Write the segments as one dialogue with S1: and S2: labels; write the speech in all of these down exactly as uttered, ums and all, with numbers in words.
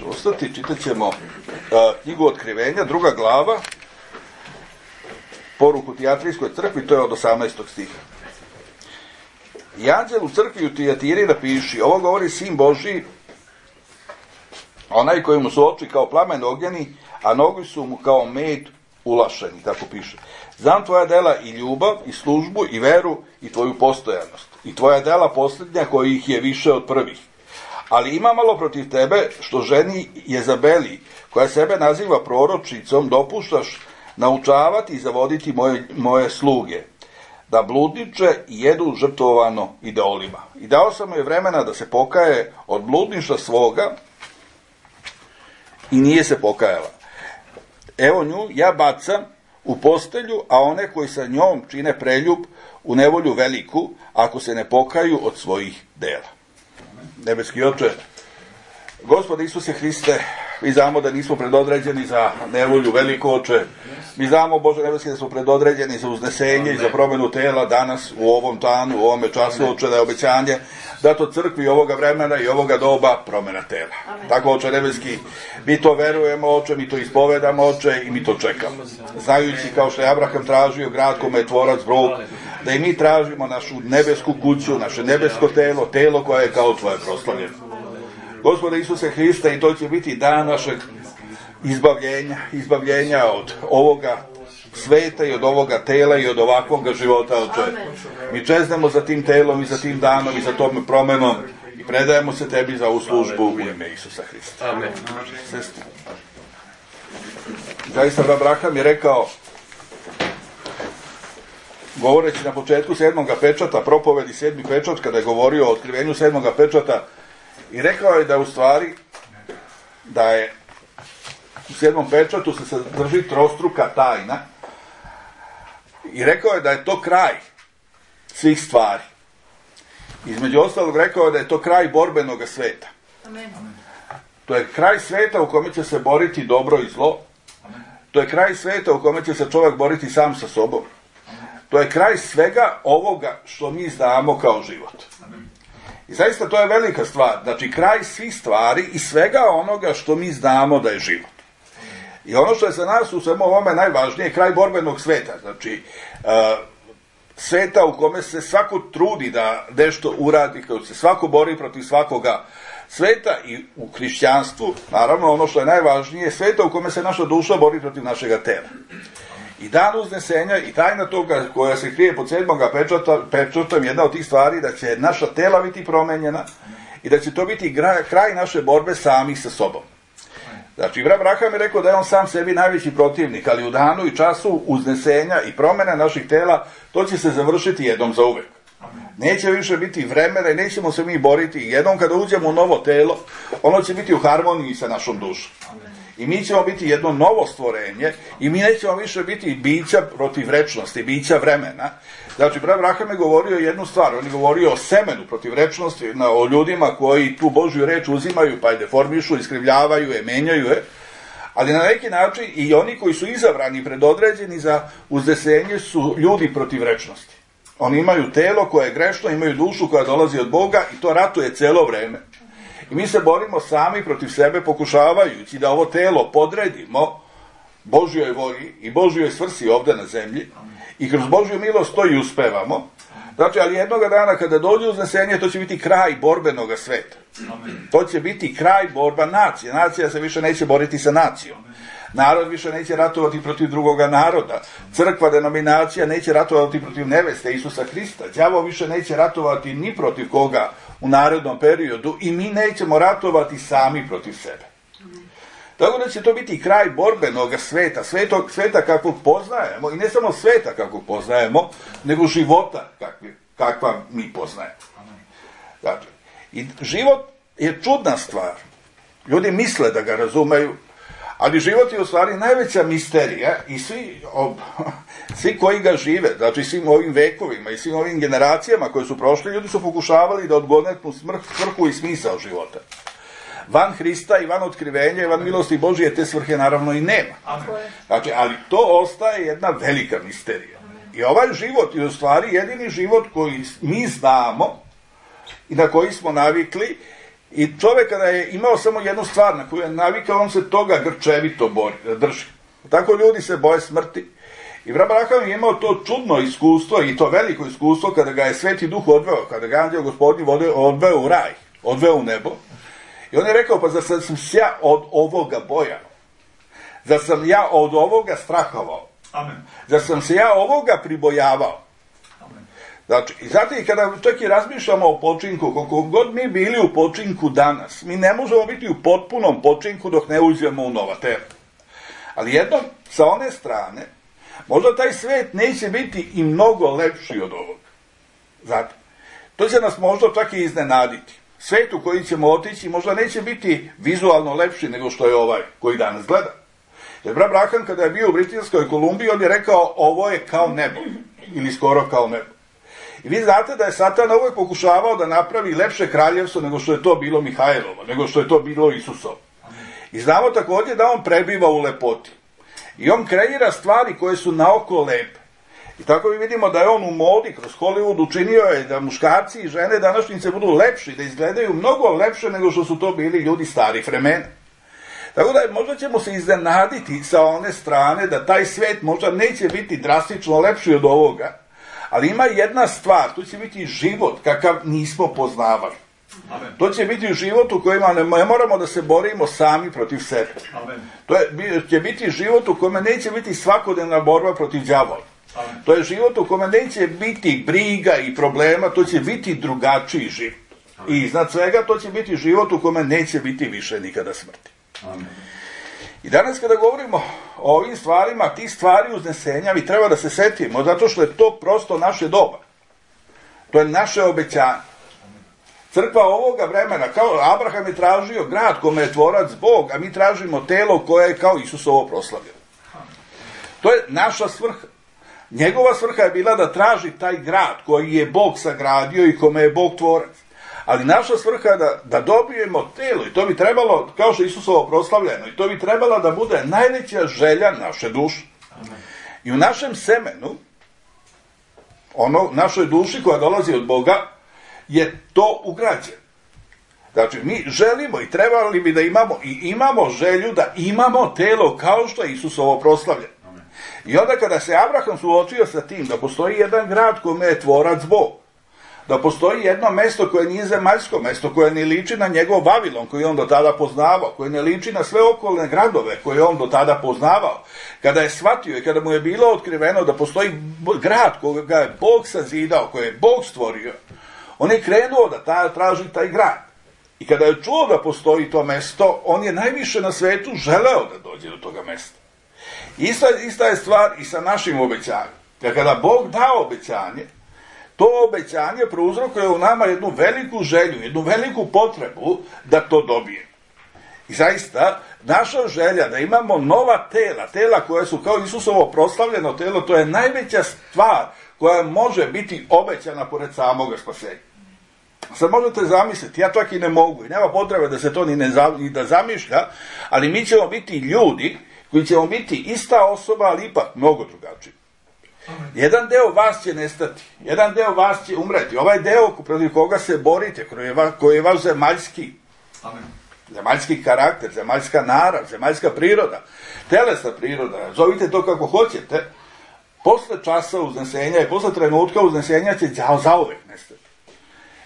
S1: ćemo ostati, čitat ćemo uh, knjigu Otkrivenja, druga glava, poruku Tijatrijskoj crkvi, to je od osamnaestog stiha. I anđel u crkvi u Tijatiri napiši, ovo govori Sin Božji, onaj kojemu su oči kao plamen ognjeni, a nogi su mu kao med ulašeni, tako piše. Znam tvoja dela i ljubav, i službu, i veru, i tvoju postojanost. I tvoja dela posljednja kojih je više od prvih. Ali ima malo protiv tebe što ženi Jezabeli, koja sebe naziva proročicom, dopuštaš naučavati i zavoditi moje, moje sluge, da bludniče i jedu žrtvovano idolima. I dao sam joj vremena da se pokaje od bludništva svoga i nije se pokajala. Evo nju ja bacam u postelju, a one koji sa njom čine preljub u nevolju veliku, ako se ne pokaju od svojih dela. Nebeski Oče, Gospode Isuse Hriste, mi znamo da nismo predodređeni za nevolju veliku, Oče. Mi znamo, Bože nebeski, da smo predodređeni za uznesenje i za promjenu tela danas, u ovom danu, u ovome času, Oče, da je obećanje dato crkvi ovoga vremena i ovoga doba promjena tela. Amen. Tako, Oče nebeski, mi to verujemo, Oče, mi to ispovedamo, Oče, i mi to čekamo. Znajući, kao što je Abraham tražio grad kome je tvorac Bog, da i mi tražimo našu nebesku kuću, naše nebesko telo, telo koje je kao tvoje proslavljeno. Gospode Isuse Hriste, i to će biti dan našeg izbavljenja, izbavljenja od ovoga sveta i od ovoga tela i od ovakvog života, Oče. Mi čeznemo za tim telom i za tim danom i za tom promenom i predajemo se tebi za ovu službu u ime Isusa Hrista. Amen. Sestri. Zaista Abraham je rekao, govoreći na početku sedmoga pečata, propovedi sedmi pečat, kada je govorio o otkrivenju sedmoga pečata, i rekao je da u stvari da je u sedmom pečatu se sadrži trostruka tajna i rekao je da je to kraj svih stvari. Između ostalog rekao je da je to kraj borbenog sveta. Amen. To je kraj sveta u kome će se boriti dobro i zlo. Amen. To je kraj sveta u kome će se čovjek boriti sam sa sobom. Amen. To je kraj svega ovoga što mi znamo kao život. Amen. I zaista to je velika stvar, znači kraj svih stvari i svega onoga što mi znamo da je život. I ono što je za nas u svemu ovome najvažnije, kraj borbenog sveta, znači uh, sveta u kome se svako trudi da nešto uradi, kako se svako bori protiv svakoga sveta i u hrišćanstvu, naravno ono što je najvažnije, sveta u kome se naša duša bori protiv našega tela. I dan uznesenja i tajna toga koja se krije pod sedmoga pečata, pečatom, jedna od tih stvari da će naša tela biti promenjena i da će to biti kraj naše borbe sami sa sobom. Znači, Abraham je rekao da je on sam sebi najveći protivnik, ali u danu i času uznesenja i promjene naših tela, to će se završiti jednom za uvek. Neće više biti vremena i nećemo se mi boriti. Jednom kada uđemo u novo telo, ono će biti u harmoniji sa našom dušom. I mi ćemo biti jedno novo stvorenje i mi nećemo više biti bića protiv večnosti, bića vremena. Znači, Abraham je govorio jednu stvar, on je govorio o semenu protiv večnosti, o ljudima koji tu Božju reč uzimaju, pa je deformišu, iskrivljavaju je, menjaju je, ali na neki način i oni koji su izabrani, predodređeni za uznesenje su ljudi protiv večnosti. Oni imaju telo koje je grešno, imaju dušu koja dolazi od Boga i to ratuje celo vreme. I mi se borimo sami protiv sebe pokušavajući da ovo telo podredimo Božjoj volji i Božjoj svrsi ovdje na zemlji i kroz Božju milost to i uspevamo. Znači, ali jednoga dana kada dođe uznesenje, to će biti kraj borbenog sveta. To će biti kraj borba nacije. Nacija se više neće boriti sa nacijom. Narod više neće ratovati protiv drugoga naroda. Crkva, denominacija neće ratovati protiv neveste Isusa Hrista. Đavo više neće ratovati ni protiv koga u narednom periodu i mi nećemo ratovati sami protiv sebe. Tako da će to biti kraj borbenog sveta, svetog, sveta kakvog poznajemo i ne samo sveta kakvog poznajemo, nego života kakvi, kakva mi poznajemo. Dakle, i život je čudna stvar. Ljudi misle da ga razumeju, ali život je u stvari najveća misterija i svi, ob, svi koji ga žive, znači svim ovim vekovima i svim ovim generacijama koje su prošli, ljudi su pokušavali da odgonetnu svrhu i smisao života. Van Hrista i van otkrivenja i van milosti Božije te svrhe naravno i nema. Znači, ali to ostaje jedna velika misterija. I ovaj život je u stvari jedini život koji mi znamo i na koji smo navikli I čovjek kada je imao samo jednu stvar na koju je navikao, on se toga grčevito bori, drži. Tako ljudi se boje smrti. I Abraham je imao to čudno iskustvo i to veliko iskustvo kada ga je Sveti Duh odveo, kada ga anđeo Gospodnji odveo u raj, odveo u nebo. I on je rekao, pa zar sam se ja od ovoga bojao? Zar sam ja od ovoga strahovao?
S2: Amen.
S1: Zar sam se ja ovoga pribojavao?
S2: Amen.
S1: Znači, i zato i kada čak i razmišljamo o počinku, koliko god mi bili u počinku danas, mi ne možemo biti u potpunom počinku dok ne uđemo u nova tela. Ali jednom, sa one strane, možda taj svet neće biti i mnogo lepši od ovoga. Zato, to će nas možda čak i iznenaditi. Svet u koji ćemo otići možda neće biti vizualno lepši nego što je ovaj koji danas gleda. Jer Abraham kada je bio u Britanskoj Kolumbiji, on je rekao, ovo je kao nebo, ili skoro kao nebo. I vi znate da je Satan uvijek pokušavao da napravi lepše kraljevstvo nego što je to bilo Mihajlovo, nego što je to bilo Isusovo. I znamo također da on prebiva u lepoti. I on kreira stvari koje su naoko lepe. I tako mi vidimo da je on u modi, kroz Hollywood učinio je da muškarci i žene današnjice budu lepši, da izgledaju mnogo lepše nego što su to bili ljudi starih vremena. Tako da možda ćemo se iznenaditi sa one strane da taj svijet možda neće biti drastično lepši od ovoga, ali ima jedna stvar, to će biti život kakav nismo poznavali.
S2: Amen.
S1: To će biti život u kojima ne moramo da se borimo sami protiv sebe.
S2: Amen.
S1: To je, će biti život u kome neće biti svakodnevna borba protiv đavola.
S2: Amen.
S1: To je život u kome neće biti briga i problema, to će biti drugačiji život. Amen. I iznad svega to će biti život u kome neće biti više nikada smrti.
S2: Amen.
S1: I danas kada govorimo o ovim stvarima, tih stvari uznesenja, mi treba da se setimo, zato što je to prosto naše doba. To je naše obećanje. Crkva ovoga vremena, kao Abraham je tražio grad kome je tvorac Bog, a mi tražimo telo koje je kao Isusovo proslavljeno. To je naša svrha. Njegova svrha je bila da traži taj grad koji je Bog sagradio i kome je Bog tvorac. Ali naša svrha je da, da dobijemo telo i to bi trebalo, kao što je Isusovo proslavljeno, i to bi trebalo da bude najveća želja naše duše. I u našem semenu, ono, našoj duši koja dolazi od Boga, je to ugrađeno. Znači, mi želimo i trebali bi da imamo i imamo želju da imamo telo kao što je Isusovo proslavljeno. I onda kada se Abraham suočio sa tim da postoji jedan grad kome je tvorac Bog, da postoji jedno mesto koje nije zemaljsko mesto, koje ne liči na njegov Vavilon koji on do tada poznavao, koje ne liči na sve okolne gradove koje on do tada poznavao, kada je shvatio i kada mu je bilo otkriveno da postoji grad koga je Bog sazidao, koje je Bog stvorio, on je krenuo da ta, traži taj grad. I kada je čuo da postoji to mesto, on je najviše na svetu želeo da dođe do toga mesta. Ista, ista je stvar i sa našim obećanjem. Jer kada Bog da obećanje, to obećanje prouzrokuje u nama jednu veliku želju, jednu veliku potrebu da to dobije. I zaista, naša želja da imamo nova tela, tela koja su kao Isusovo proslavljeno telo, to je najveća stvar koja može biti obećana pored samoga spasenja. Sad možete zamisliti, ja čak i ne mogu i nema potrebe da se to ni, ne, ni da zamišlja, ali mi ćemo biti ljudi koji ćemo biti ista osoba, ali ipak mnogo drugačiji. Jedan deo vas će nestati, jedan deo vas će umreti, ovaj deo protiv koga se borite, koji je vaš, koji je vaš zemaljski,
S2: Amen.
S1: zemaljski karakter, zemaljska narav, zemaljska priroda, telesna priroda, zovite to kako hoćete, posle časa uznesenja i posle trenutka uznesenja će zauvek nestati.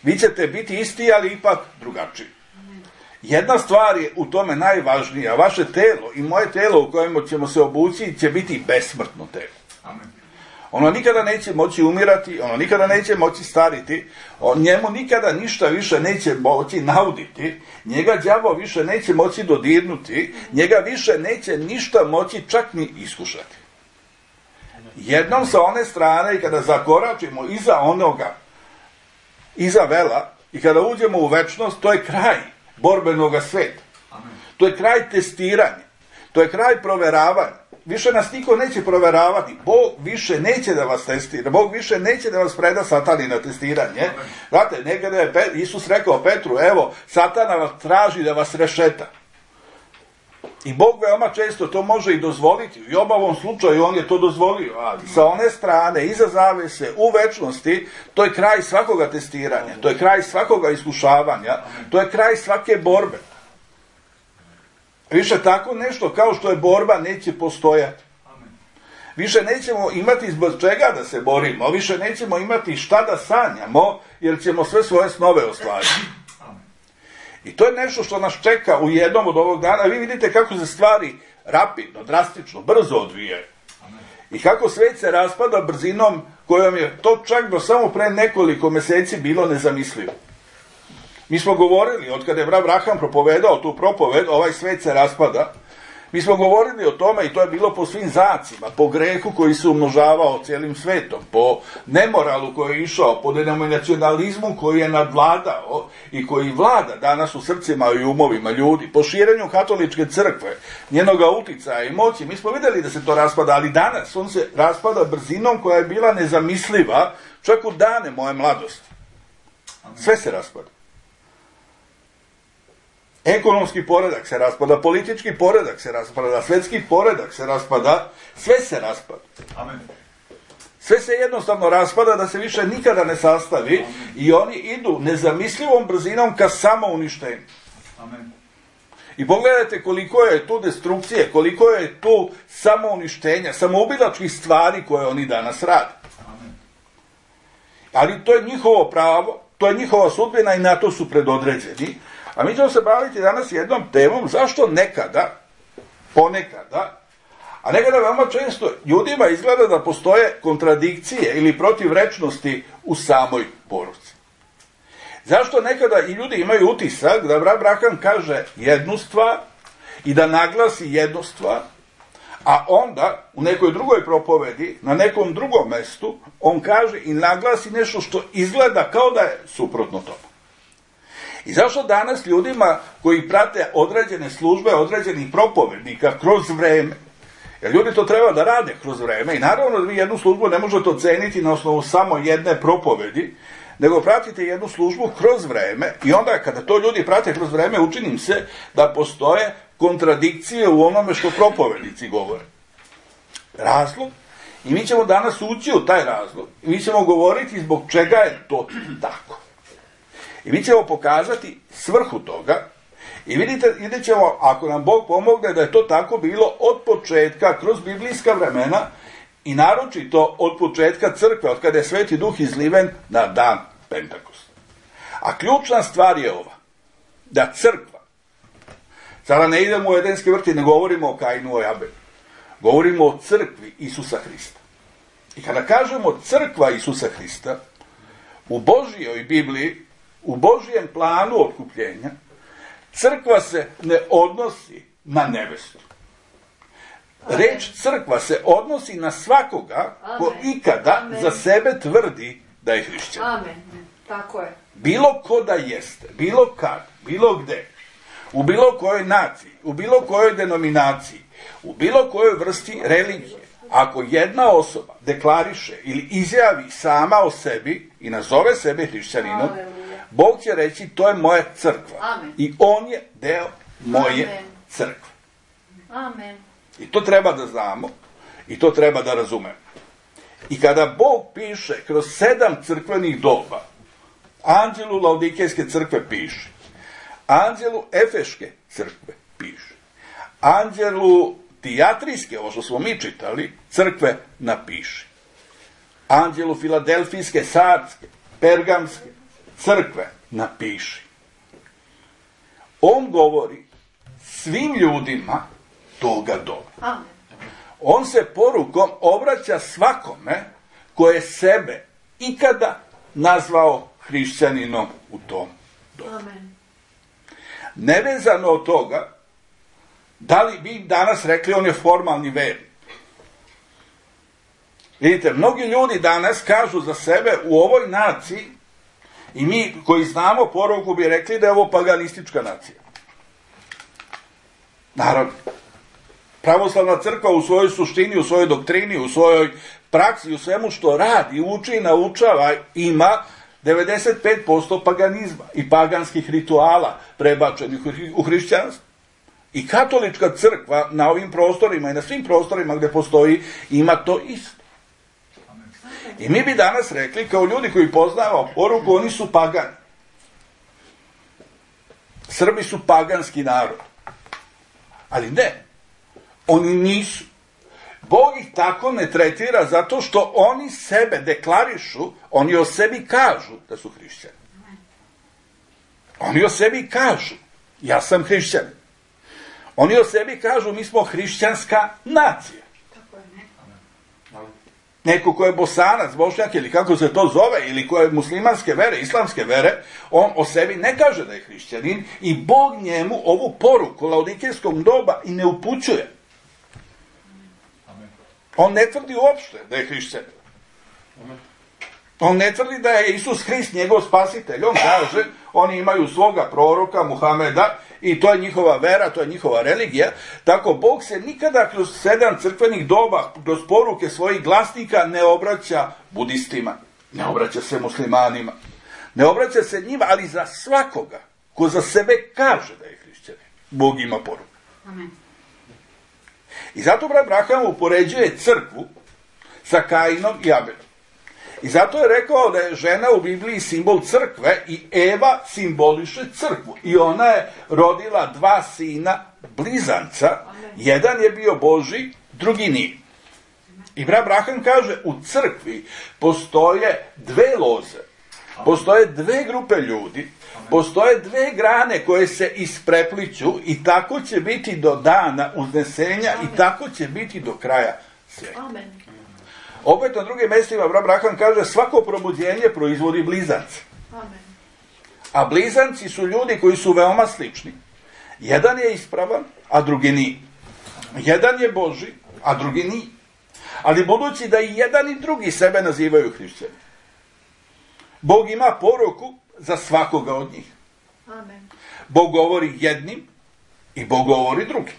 S1: Vi ćete biti isti, ali ipak drugačiji. Jedna stvar je u tome najvažnija, vaše telo i moje telo u kojem ćemo se obući će biti besmrtno telo.
S2: Amen.
S1: Ono nikada neće moći umirati, ono nikada neće moći stariti, on, njemu nikada ništa više neće moći nauditi, njega đavo više neće moći dodirnuti, njega više neće ništa moći čak ni iskušati. Jednom sa one strane i kada zakoračimo iza onoga, iza vela i kada uđemo u večnost, to je kraj borbenoga sveta.
S2: Amen.
S1: To je kraj testiranja, to je kraj proveravanja. Više nas niko neće proveravati. Bog više neće da vas testira. Bog više neće da vas preda Satani na testiranje. Znate, nekada je Isus rekao Petru, evo, Satana vas traži da vas rešeta. I Bog veoma često to može i dozvoliti. I u ovom slučaju on je to dozvolio. Ali sa one strane, iza zavese, u večnosti, to je kraj svakoga testiranja. To je kraj svakoga iskušavanja. To je kraj svake borbe. Više tako nešto kao što je borba neće postojati. Više nećemo imati zbog čega da se borimo. Više nećemo imati šta da sanjamo, jer ćemo sve svoje snove ostvariti. I to je nešto što nas čeka u jednom od ovog dana. Vi vidite kako se stvari rapidno, drastično, brzo odvijaju. I kako svet se raspada brzinom kojom je to čak do samo pre nekoliko meseci bilo nezamislivo. Mi smo govorili, od kada je Abraham propovedao tu propoved, ovaj svet se raspada, mi smo govorili o tome i to je bilo po svim zacima, po grehu koji se umnožavao cijelim svetom, po nemoralu koji je išao, po denominacionalizmu koji je nadvladao i koji vlada danas u srcima i umovima ljudi, po širenju katoličke crkve, njenoga uticaja i moći. Mi smo vidjeli da se to raspada, ali danas on se raspada brzinom koja je bila nezamisliva čak u dane moje mladosti. Sve se raspada. Ekonomski poredak se raspada, politički poredak se raspada, svetski poredak se raspada, sve se raspada.
S2: Amen.
S1: Sve se jednostavno raspada da se više nikada ne sastavi. Amen. I oni idu nezamislivom brzinom ka samouništenju.
S2: Amen.
S1: I pogledajte koliko je tu destrukcije, koliko je tu samouništenja, samoubilačkih stvari koje oni danas rade.
S2: Amen.
S1: Ali to je njihovo pravo, to je njihova sudbina i na to su predodređeni. A mi ćemo se baviti danas jednom temom zašto nekada, ponekada, a nekada veoma često ljudima izgleda da postoje kontradikcije ili protivrečnosti u samoj poruci. Zašto nekada i ljudi imaju utisak da Abraham kaže jednu stvar i da naglasi jednu stvar, a onda u nekoj drugoj propovedi, na nekom drugom mestu, on kaže i naglasi nešto što izgleda kao da je suprotno tome. I zašto danas ljudima koji prate određene službe, određenih propovednika kroz vreme, jer ljudi to treba da rade kroz vreme i naravno da vi jednu službu ne možete oceniti na osnovu samo jedne propovedi, nego pratite jednu službu kroz vreme i onda kada to ljudi prate kroz vreme učinim se da postoje kontradikcije u onome što propovednici govore. Razlog, i mi ćemo danas ući u taj razlog i mi ćemo govoriti zbog čega je to tako. I mi ćemo pokazati svrhu toga i vidite, vidjet ćemo, ako nam Bog pomogne, da je to tako bilo od početka, kroz biblijska vremena i naročito od početka crkve, od kada je Sveti Duh izliven na dan Pentakosta. A ključna stvar je ova, da crkva, sada ne idemo u Edenski vrt i ne govorimo o Kainu i Abelu, govorimo o crkvi Isusa Hrista. I kada kažemo crkva Isusa Hrista, u Božjoj Bibliji, u Božjem planu otkupljenja, crkva se ne odnosi na nevestu. Reč crkva se odnosi na svakoga ko ikada Amen. Za sebe tvrdi da je hrišćan.
S3: Amen. Tako je.
S1: Bilo ko da jeste, bilo kad, bilo gde, u bilo kojoj naciji, u bilo kojoj denominaciji, u bilo kojoj vrsti religije, ako jedna osoba deklariše ili izjavi sama o sebi i nazove sebe hrišćaninom, Bog će reći to je moja crkva.
S3: Amen.
S1: I on je deo moje
S3: Amen.
S1: crkve.
S3: Amen.
S1: I to treba da znamo i to treba da razumemo. I kada Bog piše kroz sedam crkvenih doba, anđelu Laodikejske crkve piše, anđelu Efeške crkve piše, anđelu Tijatrijske, ovo što smo mi čitali, crkve napiše, anđelu Filadelfijske, Sardske, Pergamske crkve napiši. On govori svim ljudima toga doba.
S3: Amen.
S1: On se porukom obraća svakome ko je sebe ikada nazvao hrišćaninom u tom dobu.
S3: Amen.
S1: Nevezano od toga, da li bi danas rekli on je formalni vernik. Vidite, mnogi ljudi danas kažu za sebe u ovoj naciji, i mi koji znamo poruku bi rekli da je ovo paganistička nacija. Naravno, pravoslavna crkva u svojoj suštini, u svojoj doktrini, u svojoj praksi, u svemu što radi, uči i naučava, ima devedeset pet posto paganizma i paganskih rituala prebačenih u hrišćanstvo. I katolička crkva na ovim prostorima i na svim prostorima gdje postoji ima to isto. I mi bi danas rekli, kao ljudi koji poznaju poruku, oni su pagani. Srbi su paganski narod. Ali ne, oni nisu. Bog ih tako ne tretira zato što oni sebe deklarišu, oni o sebi kažu da su hrišćani. Oni o sebi kažu, ja sam hrišćanin. Oni o sebi kažu, mi smo hrišćanska nacija. Neko ko je Bosanac, Bošnjak ili kako se to zove, ili ko je muslimanske vere, islamske vere, on o sebi ne kaže da je hrišćanin i Bog njemu ovu poruku laodikejskog doba i ne upućuje. On ne tvrdi uopšte da je hrišćanin. On ne tvrdi da je Isus Hrist njegov spasitelj. On kaže, oni imaju svoga proroka Muhameda i to je njihova vera, to je njihova religija. Tako Bog se nikada kroz sedam crkvenih doba, kroz poruke svojih glasnika ne obraća budistima, ne obraća se muslimanima, ne obraća se njima, ali za svakoga ko za sebe kaže da je hrišćanin, Bog ima poruku.
S3: Amen.
S1: I zato brat Abraham upoređuje crkvu sa Kainom i Abelom. I zato je rekao da je žena u Bibliji simbol crkve i Eva simboliše crkvu. I ona je rodila dva sina blizanca. Jedan je bio Božji, drugi nije. I brat Abraham kaže, u crkvi postoje dve loze, postoje dve grupe ljudi, postoje dve grane koje se isprepliću i tako će biti do dana uznesenja i tako će biti do kraja svijeta.
S3: Amen.
S1: Opet na drugim mjestima brat Abraham kaže, svako probuđenje proizvodi blizance.
S3: Amen.
S1: A blizanci su ljudi koji su veoma slični. Jedan je ispravan, a drugi nije. Jedan je Božji, a drugi nije. Ali budući da i jedan i drugi sebe nazivaju hrišćani, Bog ima poruku za svakoga od njih.
S3: Amen.
S1: Bog govori jednim i Bog govori drugim.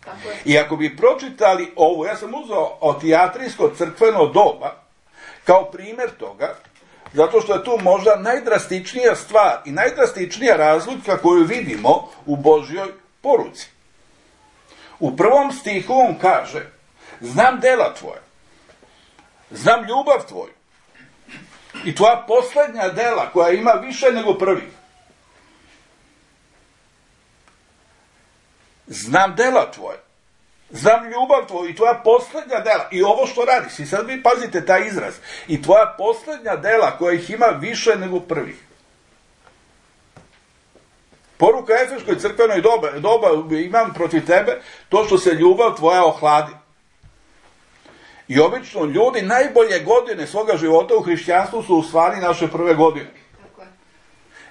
S3: Tako je.
S1: I ako bi pročitali ovo, ja sam uzeo otijatrijsko crkveno doba kao primjer toga, zato što je tu možda najdrastičnija stvar i najdrastičnija razlika koju vidimo u Božjoj poruci. U prvom stihu on kaže, znam dela tvoja, znam ljubav tvoju i tvoja posljednja dela koja ima više nego prvi. Znam dela tvoje, znam ljubav tvoju i tvoja posljednja dela. I ovo što radiš, i sad vi pazite taj izraz, i tvoja posljednja dela koja ih ima više nego prvih. Poruka Efeškoj crkvenoj doba, doba imam protiv tebe to što se ljubav tvoja ohladi. I obično ljudi najbolje godine svoga života u hrišćanstvu su u stvari naše prve godine.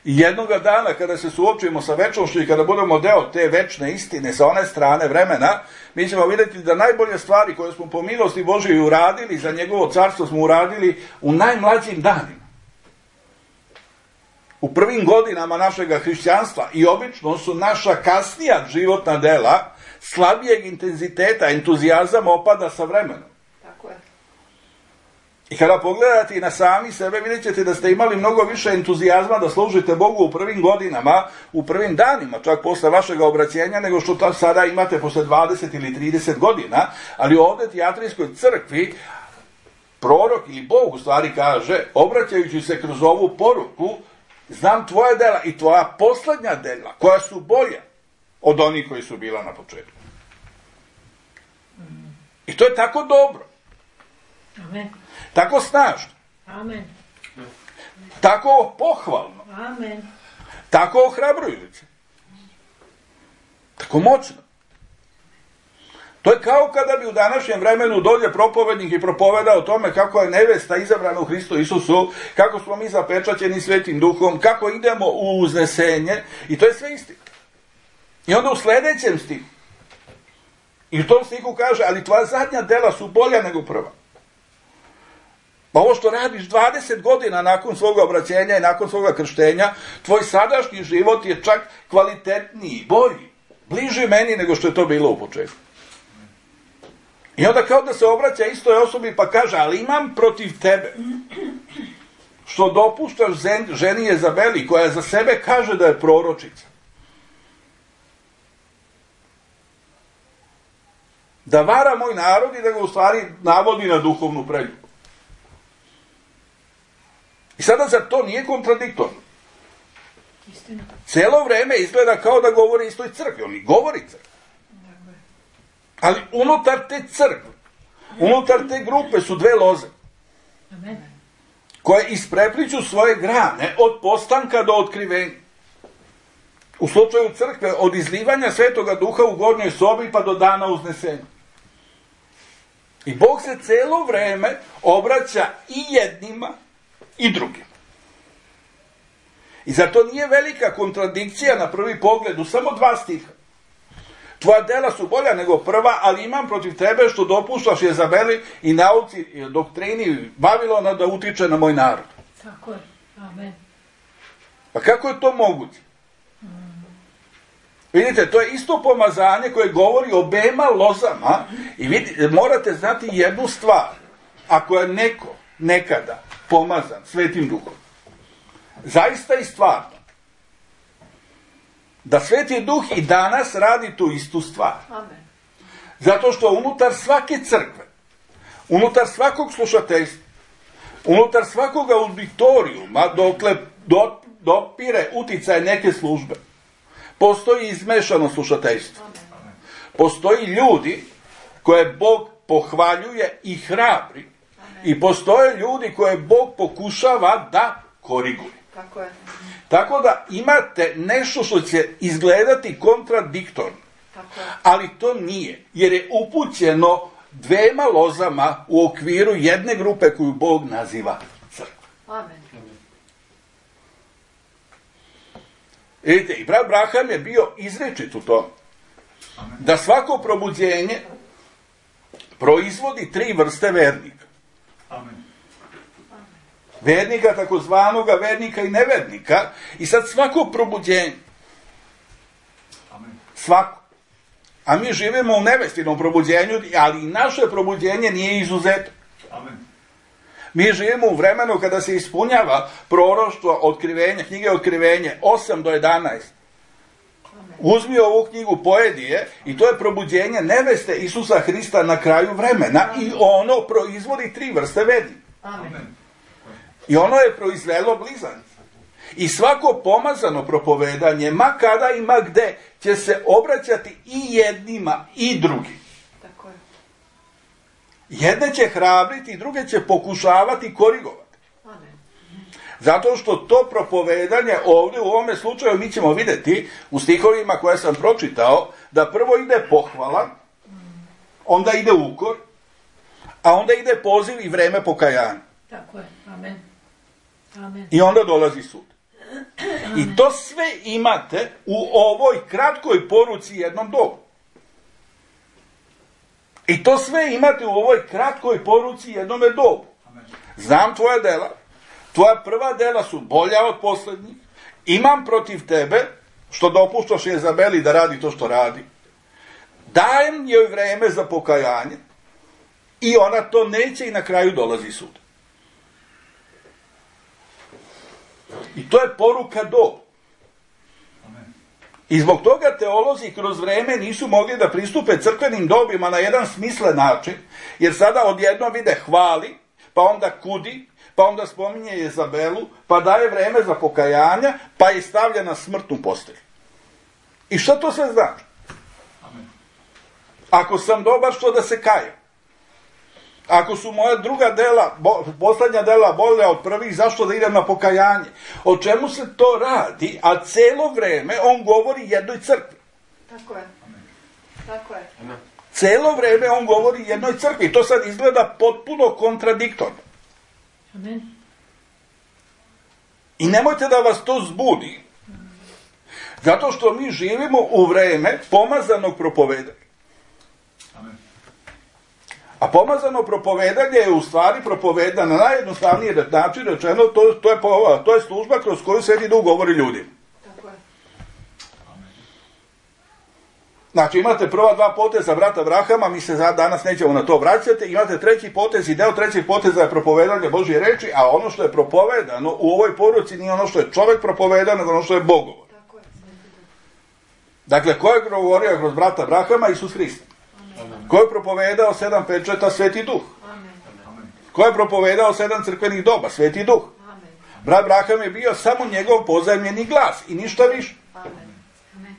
S1: I jednoga dana kada se suočimo sa večnošću i kada budemo deo te večne istine sa one strane vremena, mi ćemo vidjeti da najbolje stvari koje smo po milosti Božjoj uradili za njegovo carstvo smo uradili u najmlađim danima. U prvim godinama našega hrišćanstva i obično su naša kasnija životna dela slabijeg intenziteta, entuzijazam opada sa vremenom.
S3: Tako je.
S1: I kada pogledate i na sami sebe, vidjet ćete da ste imali mnogo više entuzijazma da služite Bogu u prvim godinama, u prvim danima, čak posle vašeg obraćenja, nego što to sada imate posle dvadeset ili trideset godina, ali ovdje Tijatrijskoj crkvi prorok ili Bog u stvari kaže, obraćajući se kroz ovu poruku, znam tvoja dela i tvoja posljednja dela, koja su bolja od onih koji su bila na početku. I to je tako dobro.
S3: Amen.
S1: Tako snažno.
S3: Amen.
S1: Tako pohvalno.
S3: Amen.
S1: Tako ohrabrujuće. Tako moćno. To je kao kada bi u današnjem vremenu dođe propovednik i propoveda o tome kako je nevesta izabrana u Hristu Isusu, kako smo mi zapečaćeni Svetim Duhom, kako idemo u uznesenje, i to je sve istina. I onda u sljedećem stihu, i u tom stihu kaže, ali tvoja zadnja dela su bolja nego prva. Pa ovo što radiš dvadeset godina nakon svoga obraćenja i nakon svoga krštenja, tvoj sadašnji život je čak kvalitetniji, bolji, bliži meni nego što je to bilo u početku. I onda kao da se obraća istoj osobi pa kaže, ali imam protiv tebe što dopuštaš ženi Jezabeli koja za sebe kaže da je proročica. Da vara moj narod i da ga u stvari navodi na duhovnu preljubu. I sada zar to nije kontradiktorno?
S3: Istina.
S1: Cijelo vreme izgleda kao da govori istoj crkvi. On i govori crkvi. Ali unutar te crkve, unutar te grupe su dve loze.
S3: Amen.
S1: Koje isprepliću svoje grane od postanka do otkrivenja. U slučaju crkve od izlivanja Svetoga Duha u gornjoj sobi pa do dana uznesenja. I Bog se cijelo vreme obraća i jednima i drugima. I zar to nije velika kontradikcija na prvi pogled u samo dva stiha? Tvoja dela su bolja nego prva, ali imam protiv tebe što dopuštaš Jezabeli i nauci i doktrini Vavilona da utiče na moj narod.
S3: Tako je. Amen.
S1: Pa kako je to moguće? Vidite, to je isto pomazanje koje govori o obema lozama i vidite, morate znati jednu stvar. Ako je neko nekada pomazan Svetim Duhom, zaista i stvarno, da Sveti Duh i danas radi tu istu stvar.
S3: Amen.
S1: Zato što unutar svake crkve, unutar svakog slušateljstva, unutar svakog auditorijuma, dokle do, dopire uticaj neke službe, postoji izmešano slušateljstvo.
S3: Amen.
S1: Postoji ljudi koje Bog pohvaljuje i hrabri.
S3: Amen.
S1: I postoje ljudi koje Bog pokušava da koriguje.
S3: Tako je.
S1: Tako da imate nešto što će izgledati kontradiktorno.
S3: Tako je.
S1: Ali to nije, jer je upućeno dvema lozama u okviru jedne grupe koju Bog naziva crkva.
S3: Amen.
S1: Vidite, i brat Braham je bio izrečit u tom. Da svako probuđenje proizvodi tri vrste vernika.
S2: Amen.
S1: Vernika, takozvanoga vernika i nevernika. I sad svako probuđenje,
S2: Amen.
S1: svako, a mi živimo u nevestinom probuđenju, ali i naše probuđenje nije izuzetak.
S2: Amen.
S1: Mi živimo u vremenu kada se ispunjava proroštvo otkrivenja, knjige Otkrivenje, osam do jedanaest. Uzmi ovu knjigu, pojedi je, i to je probuđenje neveste Isusa Hrista na kraju vremena. I ono proizvodi tri vrste vernika.
S3: Amen.
S1: I ono je proizvelo blizance. I svako pomazano propovedanje, ma kada i ma gde, će se obraćati i jednima i drugim.
S3: Tako je.
S1: Jedne će hrabriti, druge će pokušavati korigovati.
S3: Amen.
S1: Zato što to propovedanje ovdje u ovome slučaju mi ćemo vidjeti u stihovima koje sam pročitao, da prvo ide pohvala, onda ide ukor, a onda ide poziv i vreme pokajanja.
S3: Tako je. Amen. Amen.
S1: I onda dolazi sud. I to sve imate u ovoj kratkoj poruci jednom dobu. I to sve imate u ovoj kratkoj poruci jednome dobu. Znam tvoja dela, tvoja prva dela su bolja od posljednjih, imam protiv tebe, što dopuštaš Jezabeli da radi to što radi, dajem joj vreme za pokajanje i ona to neće i na kraju dolazi sud. I to je poruka do. I zbog toga teolozi kroz vreme nisu mogli da pristupe crkvenim dobima na jedan smislen način, jer sada odjednom vide hvali, pa onda kudi, pa onda spominje Jezabelu, pa daje vreme za pokajanja, pa je stavlja na smrtnu postelju. I što to sve znači? Ako sam dobar, što da se kajem? Ako su moja druga dela, bo, posljednja dela bolja od prvih, zašto da idem na pokajanje? O čemu se to radi? A celo vreme on govori jednoj crkvi.
S3: Tako je. Tako je.
S1: Celo vreme on govori jednoj crkvi. To sad izgleda potpuno kontradiktorno.
S3: Amen.
S1: I nemojte da vas to zbudi. Zato što mi živimo u vreme pomazanog propovedanja. A pomazano propovedanje je u stvari propovedano na najjednostavniji način rečeno, to, to, je, to je služba kroz koju Sveti Duh govori ljudima.
S3: Tako je.
S1: Znači imate prva dva poteza brata Abrahama, mi se danas nećemo na to vraćati, imate treći potez i deo trećeg poteza je propovedanje Božje reči, a ono što je propovedano u ovoj poruci nije ono što je čovjek propovedano, nego ono što je Bog govori.
S3: Tako je.
S1: Dakle, ko je govorio kroz brata Abrahama? Isus Hrist.
S3: Amen.
S1: Ko je propovedao sedam pečata? Sveti Duh.
S3: Amen.
S1: Ko je propovedao sedam crkvenih doba? Sveti Duh.
S3: Amen.
S1: Brat Braham je bio samo njegov pozajmljeni glas i ništa više.
S3: Amen. Amen.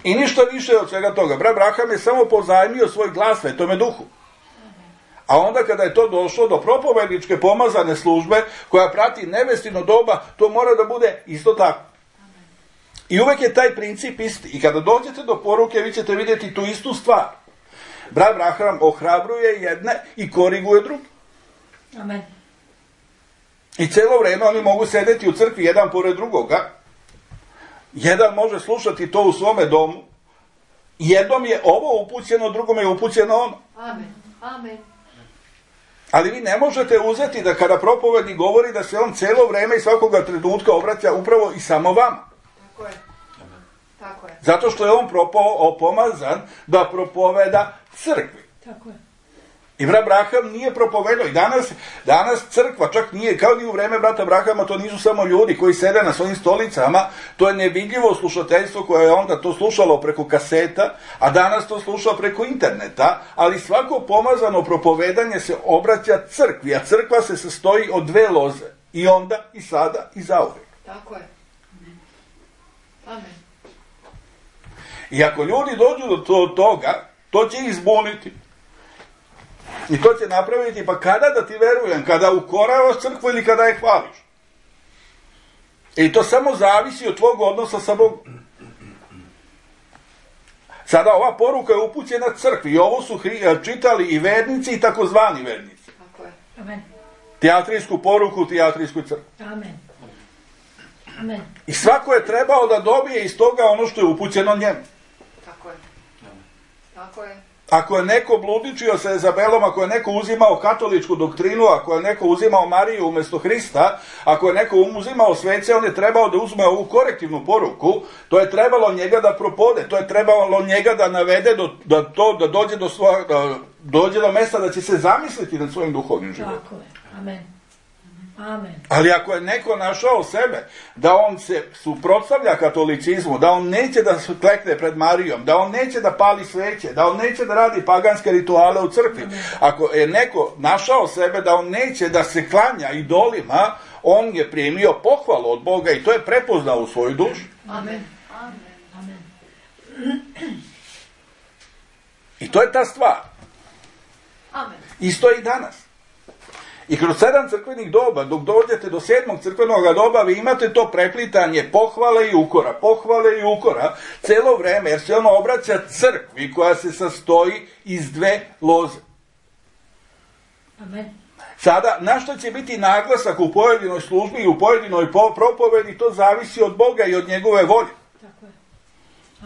S1: I ništa više od svega toga. Brat Braham je samo pozajmio svoj glas Svetome Duhu. A onda kada je to došlo do propovedničke pomazane službe koja prati nebesino doba, to mora da bude isto tako. I uvek je taj princip isti. I kada dođete do poruke, vi ćete vidjeti tu istu stvar. Brat Braham ohrabruje jedne i koriguje druge.
S3: Amen.
S1: I cijelo vrijeme oni mogu sedeti u crkvi jedan pored drugoga. Jedan može slušati to u svome domu. Jednom je ovo upućeno, drugom je upućeno ono.
S3: Amen. Amen.
S1: Ali vi ne možete uzeti da kada propovednik govori da se on cijelo vrijeme i svakoga trenutka obraća upravo i samo vama.
S3: Tako je. Tako je.
S1: Zato što je on propao, pomazan da propoveda crkvi.
S3: Tako je.
S1: I brat Braham nije propovedao. I danas, danas crkva čak nije, kao ni u vreme brata Brahama, to nisu samo ljudi koji sede na svojim stolicama, to je nevidljivo slušateljstvo koje je onda to slušalo preko kaseta, a danas to sluša preko interneta, ali svako pomazano propovedanje se obraća crkvi, a crkva se sastoji od dve loze. I onda, i sada, i zauvijek.
S3: Tako je. Amen.
S1: I ako ljudi dođu do to- toga, to će ih zbuniti. I to će napraviti, pa kada da ti verujem? Kada ukoravaš crkvu ili kada je hvališ? I to samo zavisi od tvog odnosa sa Bogom. Sada ova poruka je upućena crkvi i ovo su hri- čitali i vernici i takozvani vernici.
S3: Tako je. Amen.
S1: Teatrijsku poruku, teatrijsku crkvu.
S3: Amen. Amen.
S1: I svako je trebao da dobije iz toga ono što je upućeno njemu.
S3: Tako je. Tako je.
S1: Ako je neko bludničio sa Izabelom, ako je neko uzimao katoličku doktrinu, ako je neko uzimao Mariju umjesto Hrista, ako je neko uzimao svece, on je trebao da uzme ovu korektivnu poruku, to je trebalo njega da propode, to je trebalo njega da navede do, da, to, da, dođe do svoja, da dođe do mjesta da će se zamisliti nad svojim duhovnim životom.
S3: Tako je. Amen. Amen.
S1: Ali ako je neko našao sebe da on se suprotstavlja katolicizmu, da on neće da se klekne pred Marijom, da on neće da pali sveće, da on neće da radi paganske rituale u crkvi, ako je neko našao sebe da on neće da se klanja idolima, on je primio pohvalu od Boga i to je prepoznao u svoju dušu.
S3: Amen. Amen. Amen.
S1: I to je ta stvar.
S3: Amen.
S1: Isto je i danas. I kroz sedam crkvenih doba, dok dođete do sedmog crkvenog doba, vi imate to preplitanje pohvale i ukora, pohvale i ukora, cijelo vrijeme, jer se ono obraća crkvi koja se sastoji iz dve loze.
S3: Amen.
S1: Sada, na što će biti naglasak u pojedinoj službi i u pojedinoj po- propovedi, to zavisi od Boga i od njegove volje.
S3: Tako je.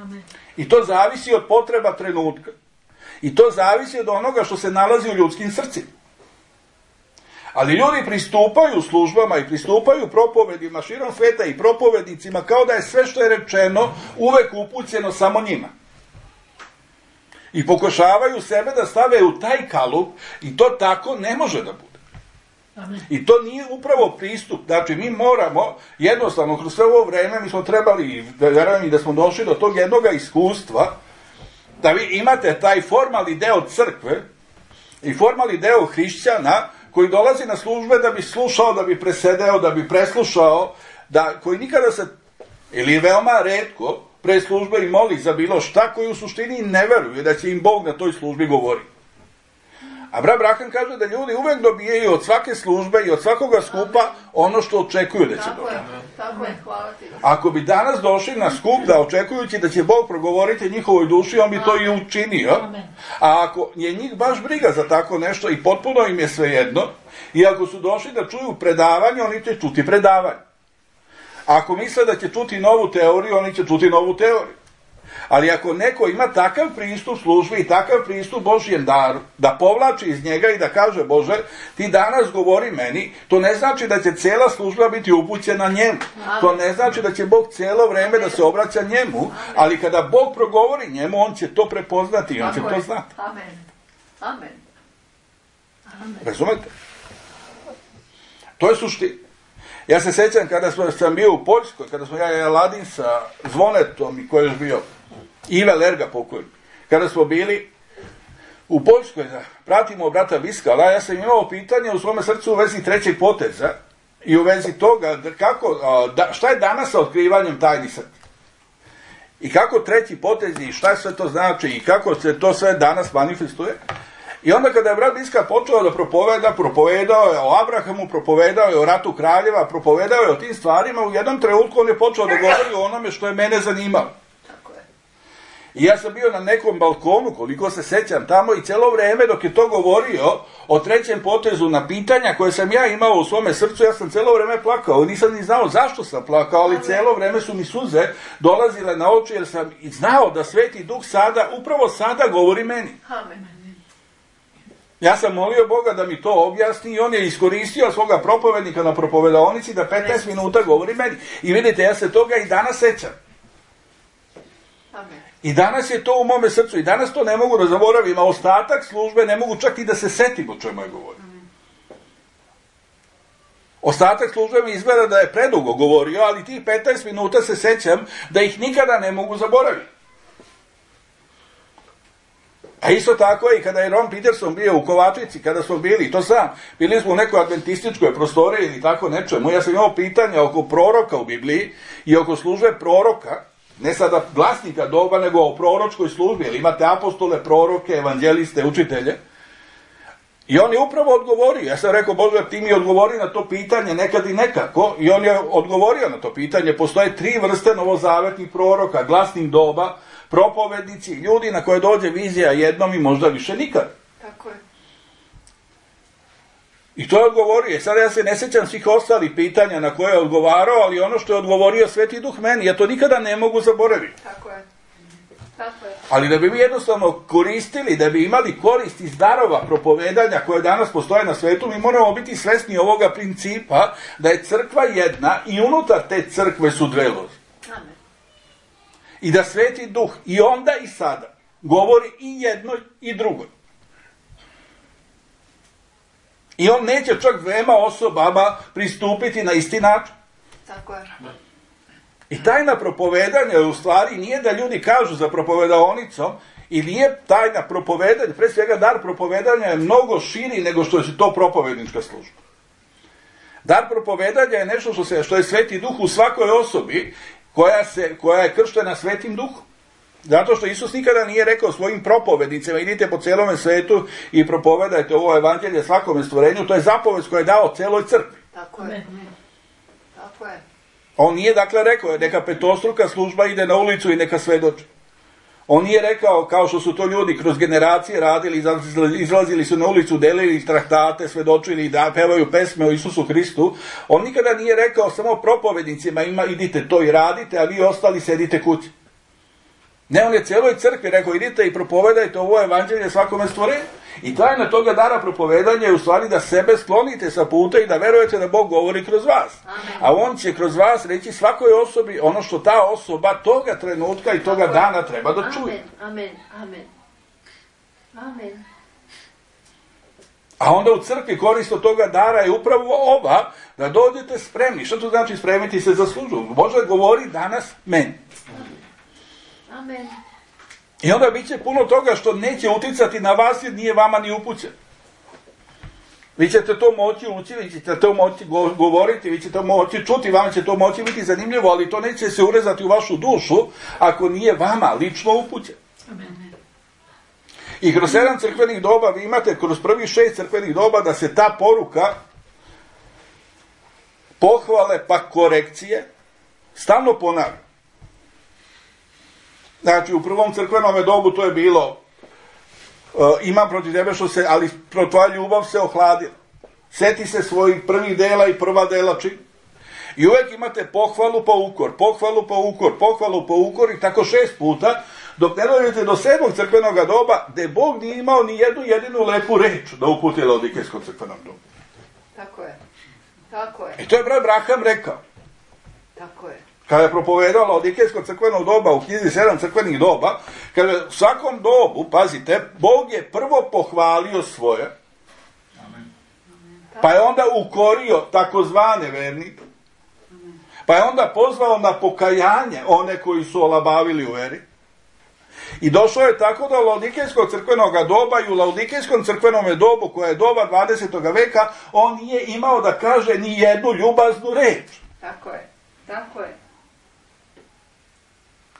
S3: Amen.
S1: I to zavisi od potreba trenutka. I to zavisi od onoga što se nalazi u ljudskim srcima. Ali ljudi pristupaju službama i pristupaju propovedima širom sveta i propovednicima kao da je sve što je rečeno uvek upućeno samo njima. I pokušavaju sebe da stave u taj kalup i to tako ne može da bude.
S3: Amen.
S1: I to nije upravo pristup. Znači mi moramo jednostavno kroz sve ovo vreme mi smo trebali i verujem i da smo došli do tog jednog iskustva da vi imate taj formalni deo crkve i formalni deo hrišćana koji dolazi na službe da bi slušao, da bi presedeo, da bi preslušao, da, koji nikada se, ili veoma retko, pre službe i moli za bilo šta, koji u suštini ne veruju da će im Bog na toj službi govori. A brat Braham kaže da ljudi uvek dobijaju od svake službe i od svakoga skupa ono što očekuju da će
S3: Tako
S1: dobiti.
S3: je. Tako je. Hvala ti.
S1: Ako bi danas došli na skup da očekujući da će Bog progovoriti njihovoj duši, on bi to i učinio.
S3: Amen.
S1: A ako je njih baš briga za tako nešto i potpuno im je svejedno, i ako su došli da čuju predavanje, oni će čuti predavanje. A ako misle da će čuti novu teoriju, oni će čuti novu teoriju. Ali ako neko ima takav pristup službi i takav pristup Božjem daru, da povlači iz njega i da kaže Bože, ti danas govori meni, to ne znači da će cijela služba biti upućena njemu. To ne znači da će Bog cijelo vrijeme da se obraća njemu, ali kada Bog progovori njemu, on će to prepoznati i on će
S3: Tako
S1: to
S3: je.
S1: znati.
S3: Amen. Amen. Amen.
S1: Razumete? To je suština. Ja se sjećam kada smo, sam bio u Poljskoj, kada smo ja i Aladin sa Zvonetom i koji je još bio Ive Lerga pokojni. Kada smo bili u Poljskoj, pratimo brata Biskala, ja sam imao pitanje u svome srcu u vezi trećeg poteza i u vezi toga kako, da, šta je danas sa otkrivanjem tajnih srca. I kako treći potez i šta sve to znači i kako se to sve danas manifestuje. I onda kada je brat Biskal počeo da propoveda, propovedao je o Abrahamu, propovedao je o ratu kraljeva, propovedao je o tim stvarima, u jednom trenutku on je počeo da govori o onome što je mene zanimalo. I ja sam bio na nekom balkonu, koliko se sećam tamo, i cijelo vrijeme dok je to govorio o trećem potezu na pitanja koje sam ja imao u svome srcu, ja sam cijelo vrijeme plakao. Nisam ni znao zašto sam plakao, ali cijelo vrijeme su mi suze dolazile na oči, jer sam znao da Sveti Duh sada, upravo sada govori meni.
S3: Amen.
S1: Ja sam molio Boga da mi to objasni i on je iskoristio svoga propovednika na propovedaonici da petnaest minuta govori meni. I vidite, ja se toga i danas sećam.
S3: Amen.
S1: I danas je to u mome srcu i danas to ne mogu da zaboravim, a ostatak službe ne mogu čak i da se setim o čemu je govorio. Ostatak službe mi izgleda da je predugo govorio, ali tih petnaest minuta se sećam da ih nikada ne mogu zaboraviti. A isto tako je i kada je Ron Peterson bio u Kovačici, kada smo bili, to sam, bili smo u nekoj adventističkoj prostoriji ili tako nečemu, ja sam imao pitanja oko proroka u Bibliji i oko službe proroka, ne sada glasnika doba, nego o proročkoj službi, jer imate apostole, proroke, evanđeliste, učitelje. I on je upravo odgovorio, ja sam rekao, Bože, ti mi odgovori na to pitanje nekad i nekako, i on je odgovorio na to pitanje. Postoje tri vrste novozavetnih proroka, glasnih doba, propovednici, ljudi na koje dođe vizija jednom i možda više nikad.
S3: Tako je.
S1: I to je odgovorio. Sada ja se ne sjećam svih ostalih pitanja na koje je odgovarao, ali ono što je odgovorio Sveti Duh meni, ja to nikada ne mogu zaboraviti.
S3: Tako je. Tako je.
S1: Ali da bi mi jednostavno koristili, da bi imali korist iz darova propovedanja koje danas postoje na svetu, mi moramo biti svesni ovoga principa da je crkva jedna i unutar te crkve su dve loze.
S3: Amen.
S1: I da Sveti Duh i onda i sada govori i jednoj i drugoj. I on neće čak dvema osobama pristupiti na isti način.
S3: Tako je.
S1: I tajna propovedanja u stvari nije da ljudi kažu za propovedaonicom, i nije tajna propovedanja, pre svega dar propovedanja je mnogo širi nego što je to propovednička služba. Dar propovedanja je nešto što, se, što je Sveti Duh u svakoj osobi koja, se, koja je krštena Svetim Duhom. Zato što Isus nikada nije rekao svojim propovednicima, idite po celome svetu i propovedajte ovo evanđelje svakome stvorenju, to je zapovest koja je dao celoj crkvi.
S3: Tako je. Tako je.
S1: On nije dakle rekao, neka petostruka služba ide na ulicu i neka svedoči. On nije rekao, kao što su to ljudi kroz generacije radili, izlazili su na ulicu, delili traktate, svedočili da pevaju pesme o Isusu Hristu. On nikada nije rekao samo propovednicima, ima, idite to i radite, a vi ostali sedite kući. Ne, on je cijeloj crkvi rekao, idite i propovedajte ovo evanđelje svakome stvorenju. I tajna toga dara propovedanja je u stvari da sebe sklonite sa puta i da verujete da Bog govori kroz vas.
S3: Amen.
S1: A on će kroz vas reći svakoj osobi ono što ta osoba toga trenutka i toga dana treba da čuje.
S3: Amen, amen, amen.
S1: A onda u crkvi korist od toga dara je upravo ova, da dođete spremni. Što to znači spremiti se za službu? Bože govori danas meni.
S3: Amen.
S1: I onda bit će puno toga što neće uticati na vas jer nije vama ni upućen. Vi ćete to moći ući, vi ćete to moći govoriti, vi ćete to moći čuti, vama će to moći biti zanimljivo, ali to neće se urezati u vašu dušu ako nije vama lično upućen.
S3: Amen.
S1: I kroz sedam crkvenih doba vi imate, kroz prvih šest crkvenih doba, da se ta poruka pohvale pa korekcije stalno ponavlja. Znači, u prvom crkvenom dobu to je bilo uh, imam protiv tebe što se, ali tvoja ljubav se ohladila. Seti se svojih prvih dela i prva dela čini. I uvijek imate pohvalu pa ukor, pohvalu pa ukor, pohvalu pa ukor i tako šest puta, dok ne dođete do sedmog crkvenog doba, gdje Bog nije imao ni jednu jedinu lepu reč da uputi Laodikejskom crkvenom dobu.
S3: Tako je. Tako je.
S1: I to je brat Braham rekao.
S3: Tako je.
S1: Kada je propovedao Laodikejsko crkveno doba u knjizi sedam crkvenih doba, kada u svakom dobu, pazite, Bog je prvo pohvalio svoje,
S2: Amen.
S1: pa je onda ukorio takozvane vernike, pa je onda pozvao na pokajanje one koji su olabavili u veri, I došlo je tako do Laodikejskog crkvenog doba i u Laodikejskom crkvenom dobu, koje je doba dvadesetog veka, on nije imao da kaže ni jednu ljubaznu reč.
S3: Tako je. Tako je.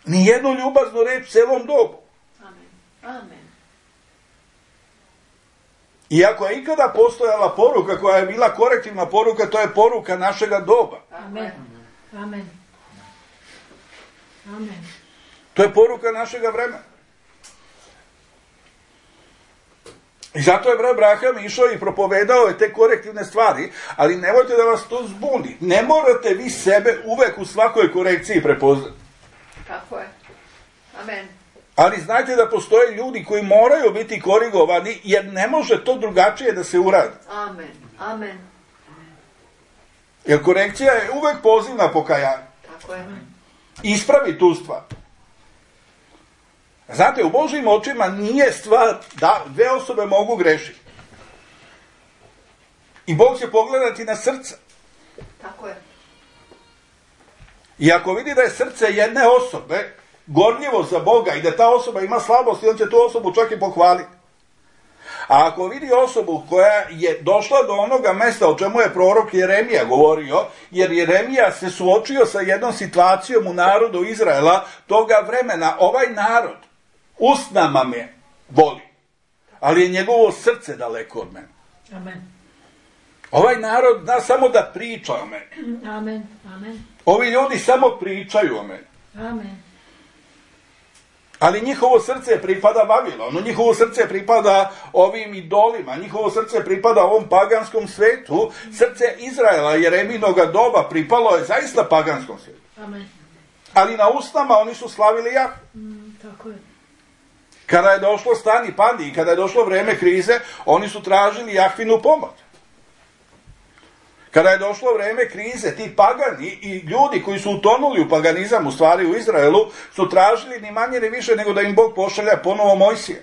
S1: Ni jednu ljubaznu reč u celom dobu.
S3: Amen. Amen.
S1: I ako je ikada postojala poruka koja je bila korektivna poruka, to je poruka našega doba.
S3: Amen. Amen. Amen.
S1: To je poruka našega vremena. I zato je brat Braham išao i propovedao je te korektivne stvari, ali nemojte da vas to zbuni. Ne morate vi sebe uvek u svakoj korekciji prepoznati.
S3: Tako je. Amen.
S1: Ali znajte da postoje ljudi koji moraju biti korigovani, jer ne može to drugačije da se uradi.
S3: Amen. Amen.
S1: Jer korekcija je uvek poziv na pokajanje.
S3: Tako je.
S1: Ispravi tu stvar. Znate, u Božjim očima nije stvar da dve osobe mogu grešiti. I Bog će pogledati na srce.
S3: Tako je.
S1: I ako vidi da je srce jedne osobe gorljivo za Boga i da ta osoba ima slabost, on će tu osobu čak i pohvaliti. A ako vidi osobu koja je došla do onoga mesta o čemu je prorok Jeremija govorio, jer Jeremija se suočio sa jednom situacijom u narodu Izraela toga vremena, ovaj narod usnama me voli, ali je njegovo srce daleko od mene.
S3: Amen.
S1: Ovaj narod zna samo da priča o meni.
S3: Amen. Amen.
S1: Ovi ljudi samo pričaju o meni.
S3: Amen.
S1: Ali njihovo srce pripada Vavilonu, njihovo srce pripada ovim idolima, njihovo srce pripada ovom paganskom svetu. Srce Izraela, Jereminoga doba, pripalo je zaista paganskom svetu.
S3: Amen.
S1: Ali na usnama oni su slavili Jahvu.
S3: Mm, tako je.
S1: Kada je došlo stani pandi i kada je došlo vreme krize, oni su tražili Jahvinu pomoć. Kada je došlo vreme krize, ti pagani i ljudi koji su utonuli u paganizam, u stvari u Izraelu, su tražili ni manje ni više nego da im Bog pošalja ponovo Mojsija.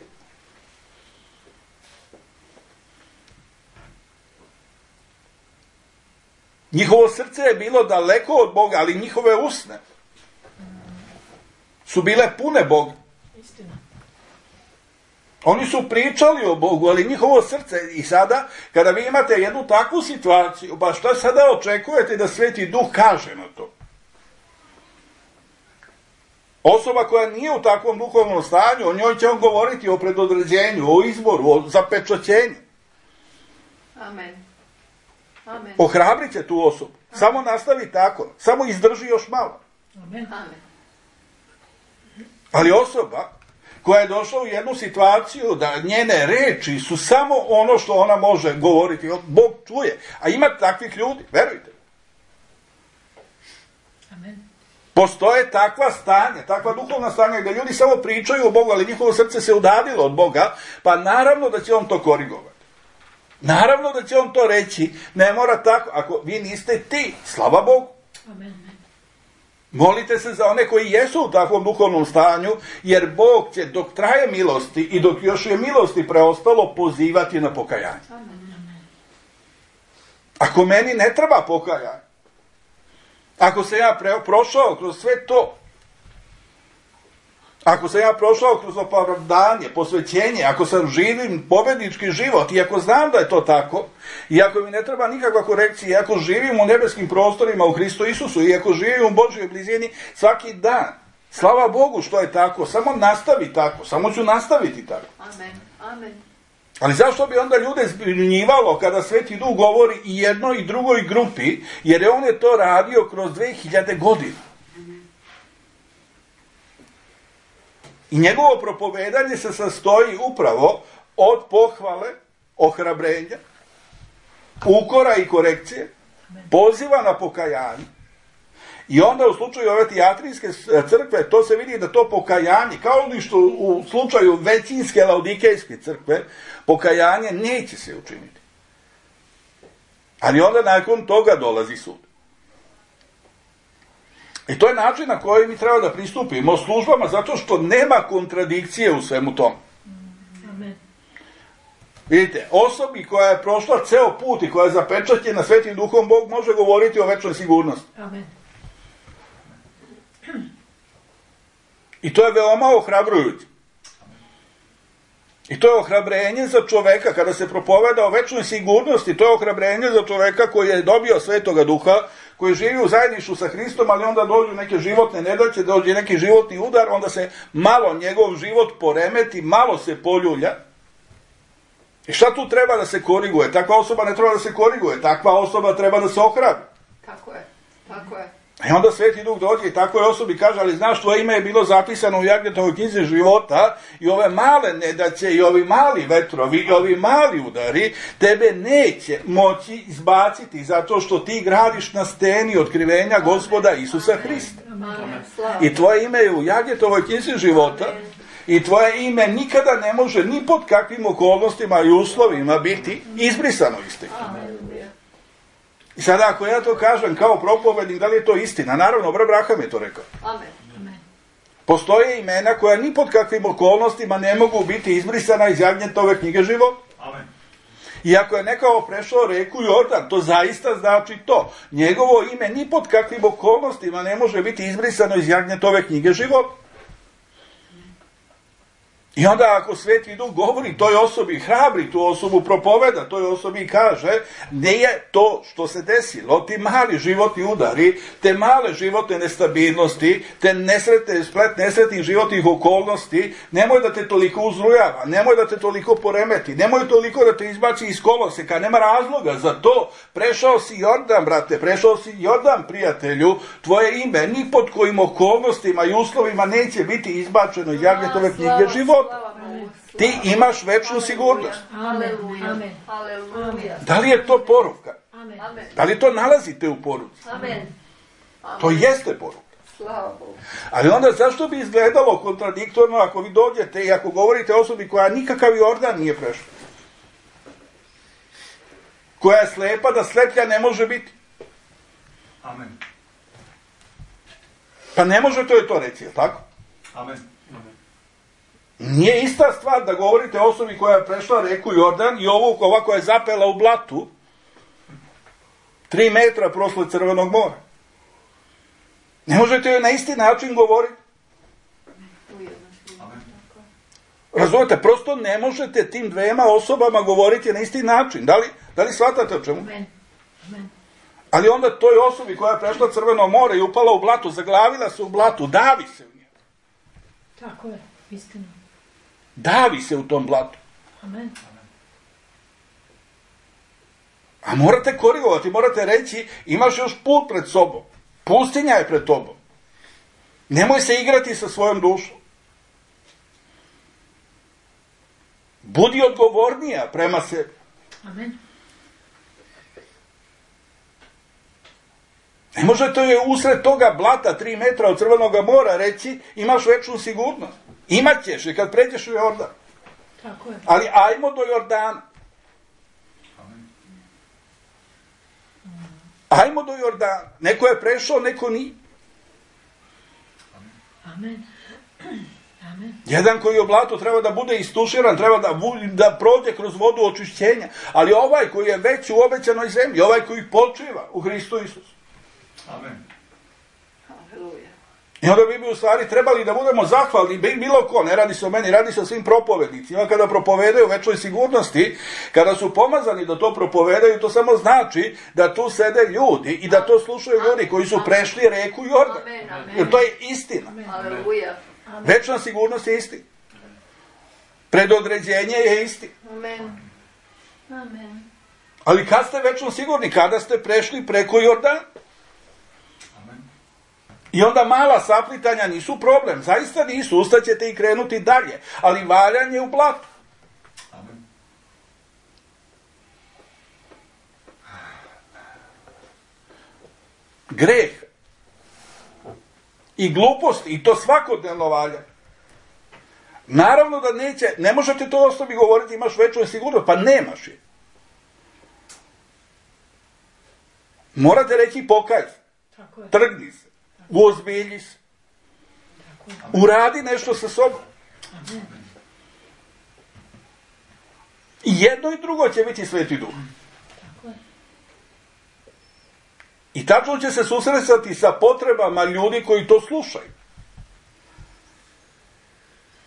S1: Njihovo srce je bilo daleko od Boga, ali njihove usne su bile pune Boga.
S3: Istina.
S1: Oni su pričali o Bogu, ali njihovo srce, i sada, kada vi imate jednu takvu situaciju, pa šta sada očekujete da Sveti Duh kaže na to? Osoba koja nije u takvom duhovnom stanju, o njoj će on govoriti o predodređenju, o izboru, o zapečaćenju.
S3: Amen. Amen.
S1: Ohrabrit će tu osobu. Samo nastavi tako. Samo izdrži još malo.
S3: Amen. Amen.
S1: Ali osoba koja je došla u jednu situaciju da njene reči su samo ono što ona može govoriti. Bog čuje. A ima takvih ljudi, verujte.
S3: Amen.
S1: Postoje takva stanja, takva duhovna stanja gdje ljudi samo pričaju o Bogu, ali njihovo srce se udaljilo od Boga, pa naravno da će on to korigovati. Naravno da će on to reći, ne mora tako, ako vi niste ti, slava Bogu.
S3: Amen.
S1: Molite se za one koji jesu u takvom duhovnom stanju, jer Bog će dok traje milosti i dok još je milosti preostalo pozivati na pokajanje.
S3: Amen.
S1: Ako meni ne treba pokajanje, ako sam ja pre, prošao kroz sve to, ako sam ja prošao kroz opravdanje, posvećenje, ako sam živim pobednički život i ako znam da je to tako, i ako mi ne treba nikakva korekcija, i ako živim u nebeskim prostorima u Hristu Isusu, i ako živim u Božjoj blizini svaki dan, slava Bogu što je tako, samo nastavi tako, samo ću nastaviti tako.
S3: Amen. Amen.
S1: Ali zašto bi onda ljude zbunjivalo kada Sveti Duh govori i jednoj i drugoj grupi, jer je on je to radio kroz dve hiljade godina. I njegovo propovedanje se sastoji upravo od pohvale, ohrabrenja, ukora i korekcije, poziva na pokajanje. I onda u slučaju ove tijatrijske crkve, to se vidi da to pokajanje, kao li što u slučaju većinske laodikejske crkve, pokajanje neće se učiniti. Ali onda nakon toga dolazi sud. I to je način na koji mi treba da pristupimo službama, zato što nema kontradikcije u svemu tom.
S3: Amen.
S1: Vidite, osobi koja je prošla ceo put i koja je zapečaćena Svetim Duhom, Bog može govoriti o večnoj sigurnosti.
S3: Amen.
S1: I to je veoma ohrabrujuće. I to je ohrabrenje za čoveka, kada se propoveda o večnoj sigurnosti, to je ohrabrenje za čoveka koji je dobio Svetoga Duha, koji živi u zajedništvu sa Hristom, ali onda dođu neke životne nedaće, dođe neki životni udar, onda se malo njegov život poremeti, malo se poljulja. I šta tu treba da se koriguje? Takva osoba ne treba da se koriguje, takva osoba treba da se ohrabri.
S3: Tako je, tako je.
S1: I onda Sveti Duh dođe i takvoj osobi kaže, ali znaš, tvoje ime je bilo zapisano u Jagnjetovoj knjizi života i ove male nedaće i ovi mali vetrovi i ovi mali udari tebe neće moći izbaciti zato što ti gradiš na steni otkrivenja Gospoda Isusa Hrista. I tvoje ime je u Jagnjetovoj knjizi života i tvoje ime nikada ne može ni pod kakvim okolnostima i uslovima biti izbrisano iz te knjige. I sada ako ja to kažem kao propovednik, da li je to istina? Naravno, brat Abraham je to rekao.
S3: Amen.
S1: Postoje imena koja ni pod kakvim okolnostima ne mogu biti izbrisana iz Jagnjetove knjige života.
S2: Amen.
S1: I ako je nekao prešao reku Jordan, to zaista znači to. Njegovo ime ni pod kakvim okolnostima ne može biti izbrisano iz Jagnjetove knjige života. I onda ako Sveti Duh govori toj osobi, hrabri tu osobu, propoveda toj osobi i kaže, nije to što se desilo, ti mali životni udari, te male životne nestabilnosti, te nesretne, splet nesretnih životnih okolnosti, nemoj da te toliko uzrujava, nemoj da te toliko poremeti, nemoj toliko da te izbaci iz koloseka, nema razloga za to. Prešao si Jordan, brate, prešao si Jordan, prijatelju, tvoje ime ni pod kojim okolnostima i uslovima neće biti izbačeno iz Jagnjetove knjige života. Ti imaš večnu sigurnost.
S3: Aleluja. Aleluja.
S1: Da li je to poruka?
S3: Amen.
S1: Da li to nalazite u poruci?
S3: Amen.
S1: To jeste poruka.
S3: Slava Bogu.
S1: Ali onda zašto bi izgledalo kontradiktorno ako vi dođete i ako govorite osobi koja nikakav Jordan nije prešla? Koja je slepa da sleplja ne može biti?
S2: Amen.
S1: Pa ne možete joj to reći, je li tako?
S2: Amen.
S1: Nije ista stvar da govorite osobi koja je prešla reku Jordan i ovu ova koja je zapela u blatu tri metra prosle Crvenog mora. Ne možete joj na isti način govoriti.
S2: Amen.
S1: Razumete, prosto ne možete tim dvema osobama govoriti na isti način. Da li, da li shvatate o čemu?
S3: Amen. Amen.
S1: Ali onda toj osobi koja je prešla Crveno more i upala u blatu, zaglavila se u blatu, davi se u njegu.
S3: Tako je, istina.
S1: Davi se u tom blatu.
S3: Amen.
S1: A morate korigovati, morate reći, imaš još put pred sobom. Pustinja je pred tobom. Nemoj se igrati sa svojom dušom. Budi odgovornija prema sebi.
S3: Amen.
S1: Ne možete joj usred toga blata tri metra od Crvenog mora reći, imaš večnu sigurnost. Imaćeš i kad pređeš u Jordan.
S3: Tako je.
S1: Ali ajmo do Jordana. Ajmo do Jordana. Neko je prešao, neko nije.
S3: Amen. Amen.
S1: Jedan koji je u blatu treba da bude istuširan, treba da, da prođe kroz vodu očišćenja. Ali ovaj koji je već u obećanoj zemlji, ovaj koji počiva u Hristu Isusu.
S2: Amen.
S3: Aleluja.
S1: I onda bi mi u stvari trebali da budemo zahvalni, bilo ko, ne radi se o meni, radi se o svim propovednicima, kada propovedaju u večnoj sigurnosti, kada su pomazani da to propovedaju, to samo znači da tu sede ljudi i da to slušaju ljudi koji su prešli reku Jordan.
S3: Amen, amen.
S1: Jer to je istina.
S3: Aleluja.
S1: Večna sigurnost je istina. Predodređenje je istina.
S3: Amen. Amen.
S1: Ali kad ste večno sigurni? Kada ste prešli preko Jordana? I onda mala saplitanja nisu problem, zaista nisu, ustaćete i krenuti dalje, ali valjanje u blatu.
S2: Amen.
S1: Greh i glupost, i to svakodnevno valja. Naravno da neće, ne možete to osobi govoriti, imaš večnu sigurnost, pa nemaš je. Morate reći pokaj se, trgni se. Uozbilji se. Uradi nešto sa sobom. I jedno i drugo će biti Sveti Duh. I tačno će se susretati sa potrebama ljudi koji to slušaju.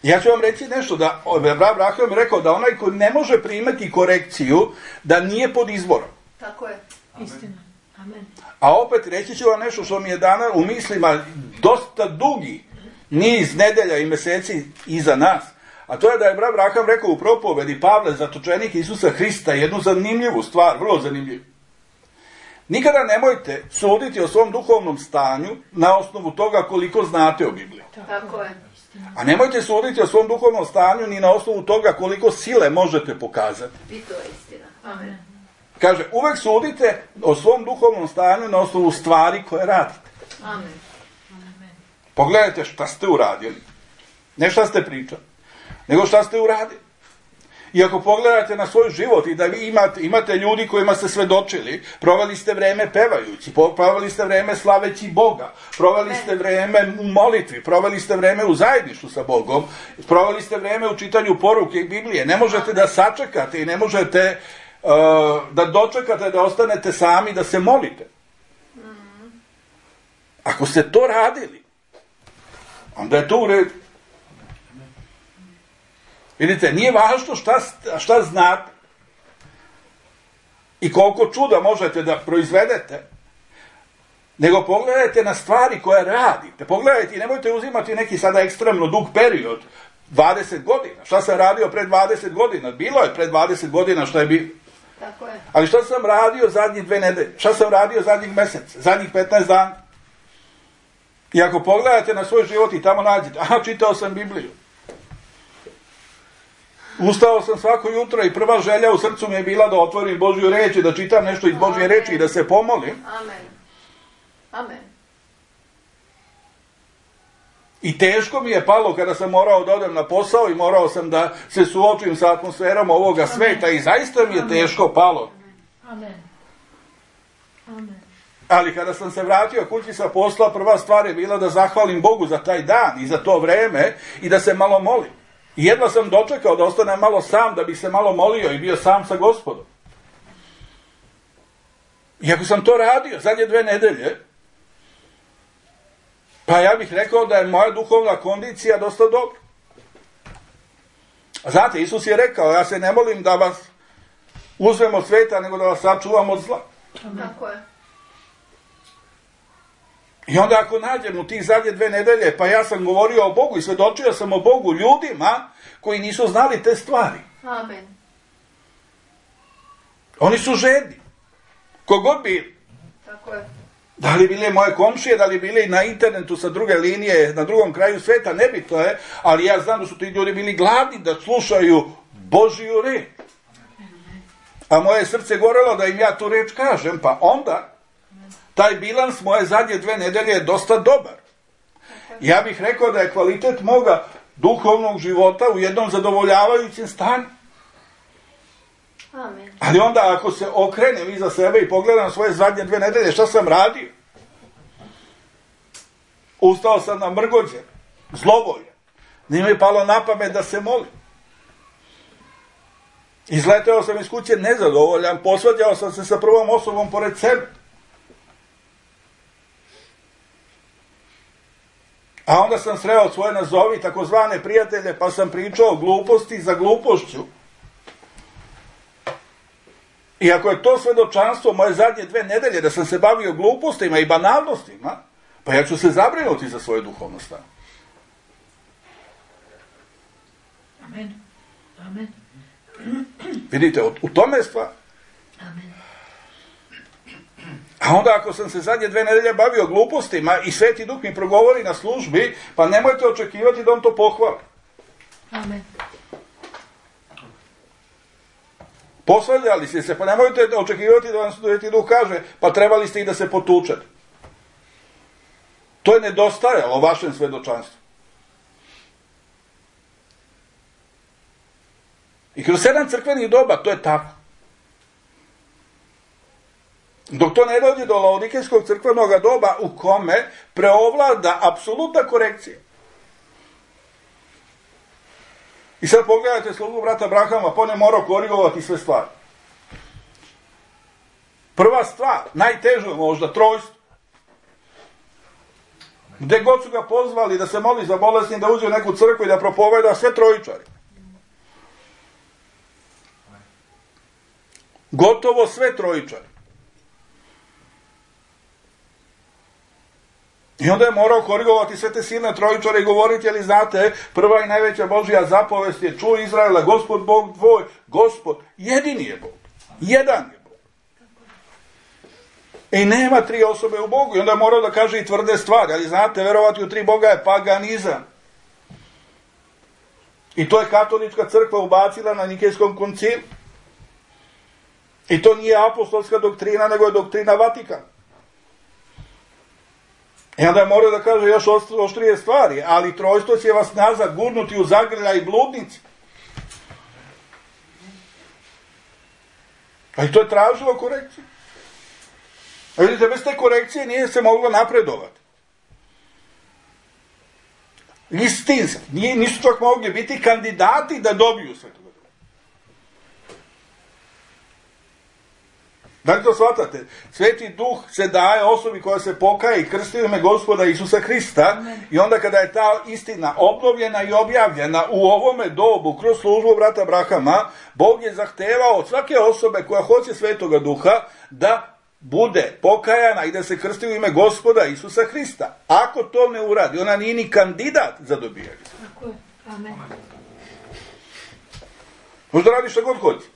S1: Ja ću vam reći nešto, da Abraham rekao da onaj ko ne može primati korekciju, da nije pod izborom.
S3: Tako je.
S4: Istina. Amen.
S1: A opet reći ću vam nešto što mi je danas u mislima dosta dugi niz nedelja i mjeseci iza nas. A to je da je Abraham rekao u propovedi Pavle, zatočenik Isusa Hrista, jednu zanimljivu stvar, vrlo zanimljivu. Nikada nemojte suditi o svom duhovnom stanju na osnovu toga koliko znate o Bibliji.
S3: Tako je.
S1: A nemojte suditi o svom duhovnom stanju ni na osnovu toga koliko sile možete pokazati.
S3: I to je istina. Amen.
S1: Kaže, uvek sudite o svom duhovnom stanju na osnovu stvari koje radite.
S3: Amen.
S1: Pogledajte šta ste uradili. Ne šta ste pričali, nego šta ste uradili. I ako pogledate na svoj život i da vi imate, imate ljudi kojima ste svedočili, proveli ste vreme pevajući, proveli ste vreme slaveći Boga, proveli ste vreme u molitvi, proveli ste vreme u zajedništvu sa Bogom, proveli ste vreme u čitanju poruke i Biblije. Ne možete da sačekate i ne možete uh, da dočekate da ostanete sami da se molite. Ako ste to radili, onda je to u redu. Vidite, nije važno šta, šta znate i koliko čuda možete da proizvedete, nego pogledajte na stvari koje radite. Pogledajte i nemojte uzimati neki sada ekstremno dug period, dvadeset godina. Šta sam radio pre dvadeset godina? Bilo je pre dvadeset godina što je bilo.
S3: Tako je.
S1: Ali šta sam radio zadnjih dve nedelje? Šta sam radio zadnjih mjesec? Zadnjih petnaest dana? I ako pogledate na svoj život i tamo nađete, aha, čitao sam Bibliju. Ustao sam svako jutro i prva želja u srcu mi je bila da otvorim Božju reč i da čitam nešto iz Božje reči i da se pomolim.
S3: Amen. Amen.
S1: I teško mi je palo kada sam morao da odem na posao i morao sam da se suočim sa atmosferom ovoga sveta i zaista mi je teško palo.
S4: Amen. Amen.
S1: Ali kada sam se vratio kući sa posla, prva stvar je bila da zahvalim Bogu za taj dan i za to vreme i da se malo molim. I jedva sam dočekao da ostanem malo sam, da bih se malo molio i bio sam sa Gospodom. I ako sam to radio zadnje dve nedelje, pa ja bih rekao da je moja duhovna kondicija dosta dobra. Znate, Isus je rekao, ja se ne molim da vas uzmem od sveta, nego da vas sačuvam od zla.
S3: Tako je.
S1: I onda ako nađem u tih zadnje dve nedelje, pa ja sam govorio o Bogu i svedočio sam o Bogu ljudima koji nisu znali te stvari.
S3: Amen.
S1: Oni su žedni. Kogod bi,
S3: Tako je.
S1: da li bile moje komšije, da li bili na internetu sa druge linije, na drugom kraju sveta, nebitno je, ali ja znam da su ti ljudi bili gladni da slušaju Božju reč. A moje srce gorelo da im ja tu reč kažem, pa onda taj bilans moje zadnje dve nedelje je dosta dobar. Ja bih rekao da je kvalitet moga duhovnog života u jednom zadovoljavajućem stanju.
S3: Amen.
S1: Ali onda ako se okrenem iza sebe i pogledam svoje zadnje dve nedelje, šta sam radio? Ustao sam na mrgođe, zlovolje. Nije mi palo na pamet da se molim. Izleteo sam iz kuće nezadovoljan, posvađao sam se sa prvom osobom pored sebe. A onda sam sreo svoje nazovi takozvane prijatelje, pa sam pričao gluposti za glupošću. I ako je to svedočanstvo moje zadnje dve nedelje, da sam se bavio glupostima i banalnostima, pa ja ću se zabrinuti za svoje duhovno stanje.
S4: Amen. Amen.
S1: Vidite, u tome je stvar.
S4: Amen.
S1: A onda ako sam se zadnje dve nedelje bavio glupostima i Sveti Duh mi progovori na službi, pa nemojte očekivati da on to pohvali.
S4: Amen.
S1: Posvađali ste se, pa nemojte očekivati da vam Sveti Duh kaže, pa trebali ste i da se potučete. To je nedostajalo vašem svedočanstvu. I kroz sedam crkvenih doba to je tako. Dok to ne dođe do Laodikejskog crkvenog doba u kome preovlada apsolutna korekcija. I sad pogledajte slugu brata Abrahama, pa on je morao korigovati sve stvari. Prva stvar, najteža možda, trojstvo. Gde god su ga pozvali da se moli za bolesni, da uđe u neku crkvu i da propoveda, sve trojičari. Gotovo sve trojičari. I onda je morao korigovati sve te silne trojičare i govoriti, ali znate, prva i najveća Božja zapovest je: čuj Izraela, Gospod Bog tvoj, Gospod, jedini je Bog. Jedan je Bog. I nema tri osobe u Bogu. I onda je morao da kaže i tvrde stvari, ali znate, verovati u tri Boga je paganizam. I to je katolička crkva ubacila na Nikejskom koncilu. I to nije apostolska doktrina, nego je doktrina Vatikana. I onda je morao da kaže još oštrije stvari, ali trojstvo će vas nazad gurnuti u zagrlja i bludnici. A i to je tražilo korekciju. A vidite, bez te korekcije nije se moglo napredovati. Istinski. Nisu čak mogli biti kandidati da dobiju sve to. Da li to shvatate? Sveti Duh se daje osobi koja se pokaje i krsti u ime Gospoda Isusa Hrista. Amen. I onda kada je ta istina obnovljena i objavljena u ovome dobu kroz službu brata Abrahama, Bog je zahtevao od svake osobe koja hoće Svetoga Duha da bude pokajana i da se krsti u ime Gospoda Isusa Hrista. Ako to ne uradi, ona nije ni kandidat za dobijanje.
S4: Tako je. Amen.
S1: Možda radi što god hoće.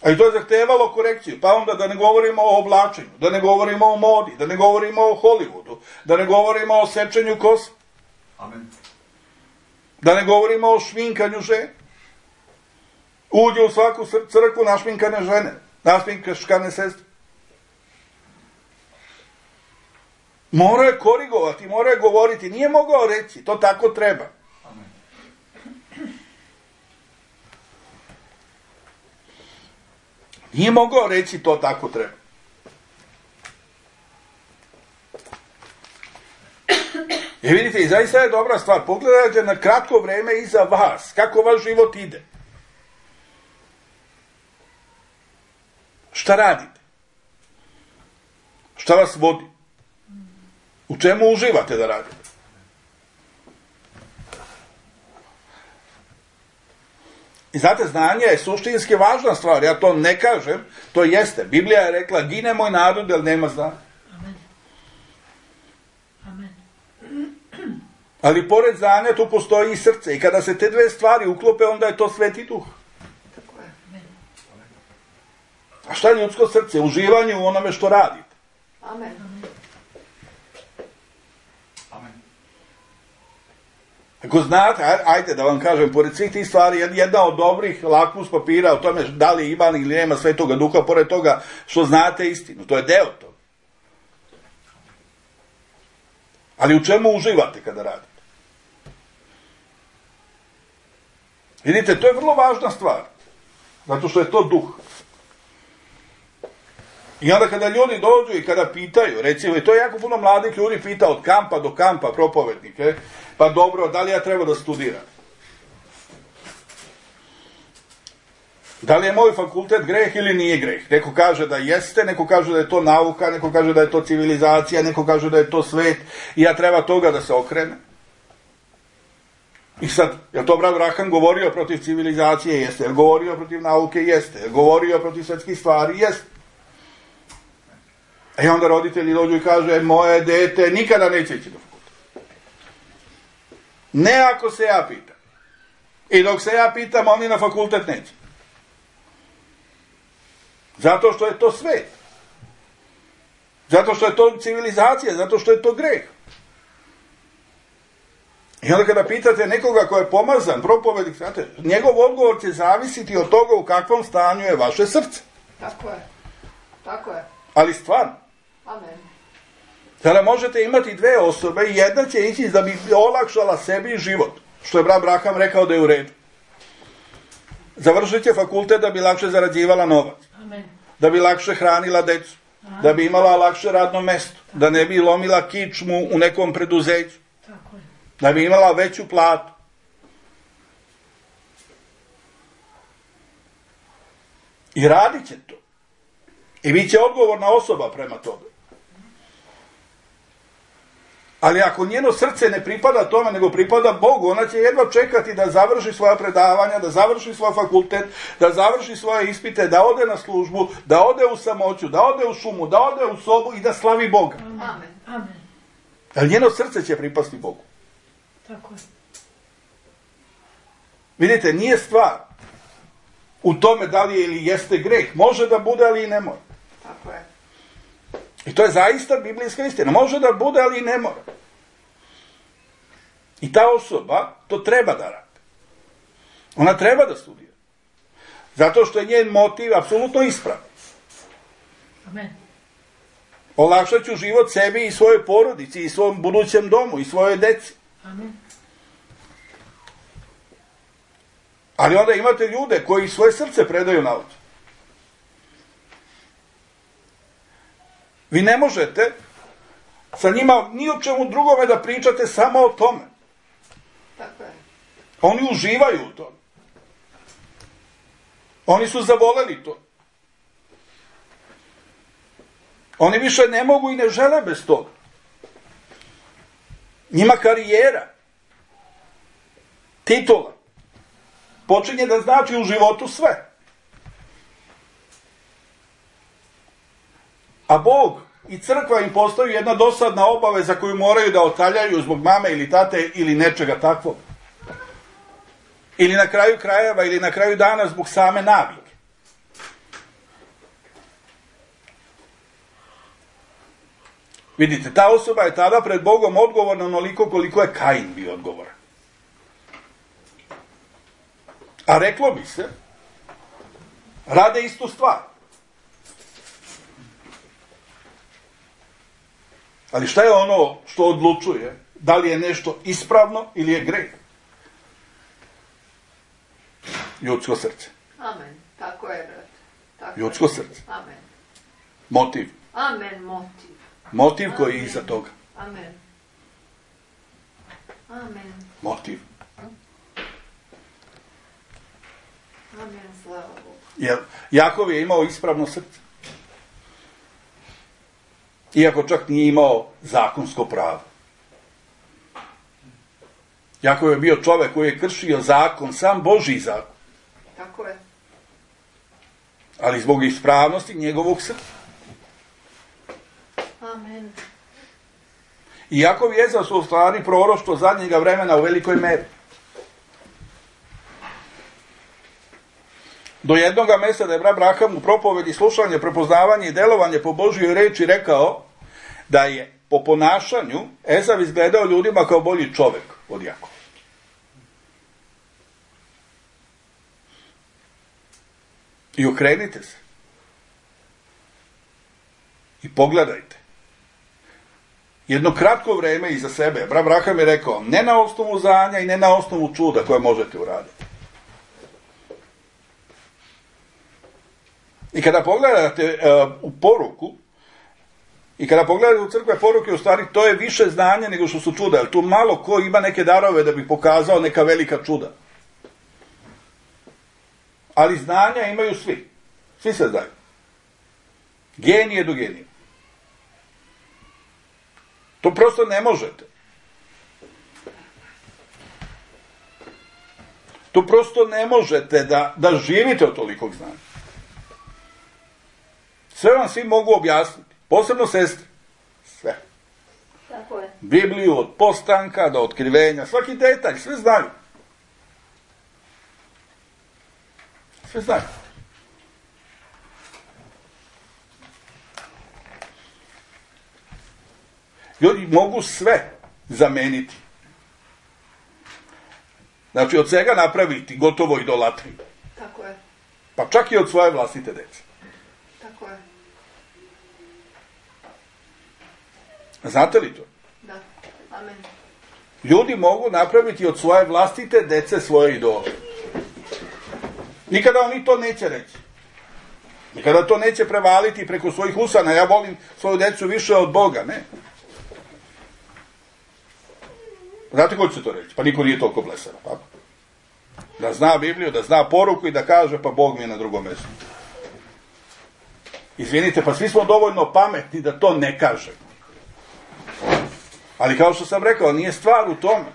S1: A i to je zahtevalo korekciju. Pa onda da ne govorimo o oblačenju, da ne govorimo o modi, da ne govorimo o Hollywoodu, da ne govorimo o sečenju kosa.
S2: Amen.
S1: Da ne govorimo o šminkanju žene. Uđe u svaku crkvu našminkane žene, našminkane sestre. Mora je korigovati, mora je govoriti. Nije mogao reći, to tako treba.
S2: Amen.
S1: Nije mogao reći to tako treba. I vidite, i zaista je dobra stvar. Pogledajte na kratko vreme iza vas, kako vaš život ide. Šta radite? Šta vas vodi? U čemu uživate da radite? I znate, znanje je suštinski važna stvar, ja to ne kažem, to jeste. Biblija je rekla, gine moj narod, jer nema znanja.
S4: Amen. Amen.
S1: Ali pored znanja tu postoji i srce. I kada se te dve stvari uklope, onda je to Sveti Duh.
S3: Tako je.
S1: A šta je ljudsko srce? Uživanje u onome što radite.
S3: Amen.
S2: Amen.
S1: Ako znate, ajde da vam kažem, pored svih tih stvari, jedna od dobrih lakmus papira o tome da li ima ili nema Svetoga Duha, pored toga što znate istinu. To je deo toga. Ali u čemu uživate kada radite? Vidite, to je vrlo važna stvar. Zato što je to duh. I onda kada ljudi dođu i kada pitaju, recimo, i to je jako puno mladih ljudi pita od kampa do kampa propovednike, pa dobro, da li ja treba da studiram? Da li je moj fakultet greh ili nije greh? Neko kaže da jeste, neko kaže da je to nauka, neko kaže da je to civilizacija, neko kaže da je to svet i ja treba toga da se okrene. I sad, je to brat Abraham govorio protiv civilizacije? Jeste. Je govorio protiv nauke? Jeste. Je govorio protiv svetskih stvari? Jeste. I onda roditelji dođu i kaže, moje dete nikada neće ići do fakulteta. Ne ako se ja pitam. I dok se ja pitam, oni na fakultet neće. Zato što je to svet. Zato što je to civilizacija, zato što je to greh. I onda kada pitate nekoga ko je pomazan, propovednik, znate, njegov odgovor će zavisiti od toga u kakvom stanju je vaše srce.
S3: Tako je. Tako je.
S1: Ali stvarno.
S3: Amen.
S1: Sada možete imati dve osobe i jedna će ići da bi olakšala sebi život. Što je brat Abraham rekao da je u redu. Završit će fakultet da bi lakše zarađivala novac.
S4: Amen.
S1: Da bi lakše hranila decu.
S4: Amen.
S1: Da bi imala lakše radno mesto. Da ne bi lomila kičmu u nekom preduzeću.
S4: Tako je.
S1: Da bi imala veću platu. I radit će to. I bit će odgovorna osoba prema tome. Ali ako njeno srce ne pripada tome, nego pripada Bogu, ona će jedva čekati da završi svoja predavanja, da završi svoj fakultet, da završi svoje ispite, da ode na službu, da ode u samoću, da ode u šumu, da ode u sobu i da slavi Boga.
S3: Amen.
S4: Amen.
S1: Ali njeno srce će pripasti Bogu.
S4: Tako je.
S1: Vidite, nije stvar u tome da li je ili jeste greh. Može da bude, ali i ne mora.
S3: Tako je.
S1: I to je zaista biblijska istina. Može da bude, ali i ne mora. I ta osoba to treba da radi. Ona treba da studira. Zato što je njen motiv apsolutno ispravan.
S4: Amen.
S1: Olakšat ću život sebi i svojoj porodici i svom budućem domu i svojoj deci.
S4: Amen.
S1: Ali onda imate ljude koji svoje srce predaju nauci. Vi ne možete sa njima ni o čemu drugome da pričate, samo o tome.
S3: Tako je.
S1: Oni uživaju u tome. Oni su zavoleli to. Oni više ne mogu i ne žele bez toga. Njima karijera, titula, počinje da znači u životu sve. A Bog i crkva im postaju jedna dosadna obaveza koju moraju da otaljaju zbog mame ili tate ili nečega takvog. Ili na kraju krajeva, ili na kraju dana zbog same navike. Vidite, ta osoba je tada pred Bogom odgovorna onoliko koliko je Kain bio odgovoran. A reklo bi se, rade istu stvar. Ali šta je ono što odlučuje da li je nešto ispravno ili je greh? Ljudsko srce.
S3: Amen. Tako je, brat. Tako
S1: Ljudsko
S3: je.
S1: srce.
S3: Amen.
S1: Motiv.
S3: Amen, motiv.
S1: Motiv koji je
S3: Amen.
S1: iza toga.
S3: Amen. Amen.
S1: Motiv.
S3: Amen, slava Bogu.
S1: Jer Jakov je imao ispravno srce. Iako čak nije imao zakonsko pravo. Jakov je bio čovek koji je kršio zakon, sam Božji zakon.
S3: Tako je.
S1: Ali zbog ispravnosti njegovog srca.
S3: Amen.
S1: I Jakov i Ezau su u stvari proroštvo zadnjega vremena u velikoj meri. Do jednoga mesta da je Abraham u propovedi slušanje, prepoznavanje i delovanje po Božjoj reči rekao da je po ponašanju Ezau izgledao ljudima kao bolji čovek od Jakova. I okrenite se. I pogledajte. Jedno kratko vreme iza sebe Abraham je rekao, ne na osnovu znanja i ne na osnovu čuda koje možete uraditi. I kada pogledate uh, u poruku, i kada pogledate u crkve poruke, u stvari to je više znanja nego što su čuda, jer tu malo ko ima neke darove da bi pokazao neka velika čuda. Ali znanja imaju svi. Svi se znaju. Genije do genije. To prosto ne možete. To prosto ne možete da, da živite od tolikog znanja. Sve vam svi mogu objasniti. Posebno sestre. Sve.
S3: Tako je.
S1: Bibliju od postanka do otkrivenja. Svaki detalj. Sve znaju. Sve znaju. Ljudi mogu sve zameniti. Znači, od svega napraviti gotovo idolatriju.
S3: Tako je.
S1: Pa čak i od svoje vlastite dece.
S3: Tako je.
S1: Znate li to?
S3: Da. Amen.
S1: Ljudi mogu napraviti od svoje vlastite dece svoje idole. Nikada oni to neće reći. Nikada to neće prevaliti preko svojih usana. Ja volim svoju decu više od Boga, ne. Znate ko će to reći? Pa niko nije toliko blesav, tako? Da zna Bibliju, da zna poruku i da kaže, pa Bog mi je na drugom mjestu. Izvinite, pa svi smo dovoljno pametni da to ne kažemo. Ali kao što sam rekao, nije stvar u tome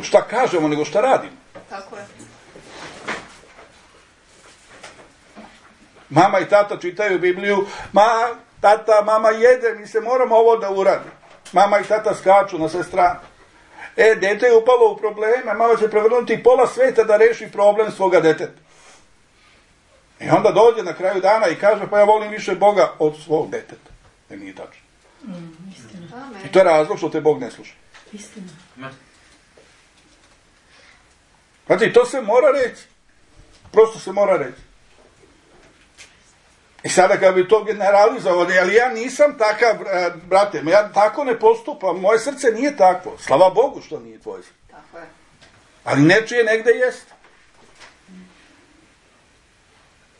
S1: šta kažemo, nego šta radimo.
S3: Tako je.
S1: Mama i tata čitaju Bibliju, ma, tata, mama jede, mi se moramo ovo da uradi. Mama i tata skaču na sve strane. E, dete je upalo u probleme, mama će prevrnuti pola sveta da reši problem svoga deteta. I onda dođe na kraju dana i kaže, pa ja volim više Boga od svog deteta. E, nije tačno.
S4: Mm, istina.
S3: Amen.
S1: I to je razlog što te Bog ne sluša.
S4: Istina.
S1: Znači, to se mora reći. Prosto se mora reći. I sada kad bi to generalizovao, ali ja nisam takav, brate, ja tako ne postupam, moje srce nije takvo. Slava Bogu što nije tvoje srce.
S3: Tako je.
S1: Ali nečije negde jeste.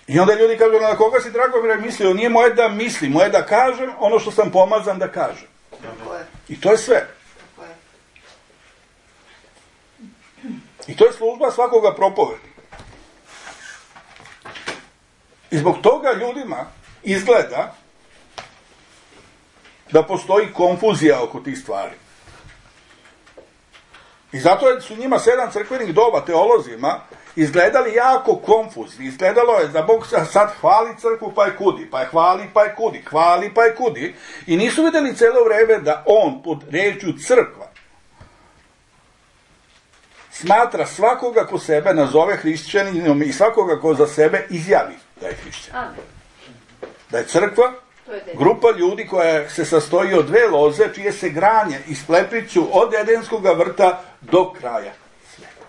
S1: I onda ljudi kažu, na koga si Dragomire mislio? Nije moje da mislim, moje da kažem ono što sam pomazan da kažem.
S3: Tako je.
S1: I to je sve.
S3: Tako je.
S1: I to je služba svakoga propovedi. I zbog toga ljudima izgleda da postoji konfuzija oko tih stvari. I zato su njima sedam crkvenih doba, teolozima, izgledali jako konfuzni. Izgledalo je da Bog sad hvali crkvu pa je kudi, pa je hvali pa je kudi, hvali pa je kudi. I nisu vidjeli celo vreme da on pod rečju crkva smatra svakoga ko sebe nazove hrišćaninom i svakoga ko za sebe izjavi da je hrišćan.
S3: Amen.
S1: Da je crkva
S3: To je dete.
S1: grupa ljudi koja se sastoji od dve loze čije se granje isplepliću od Edenskog vrta do kraja sveta.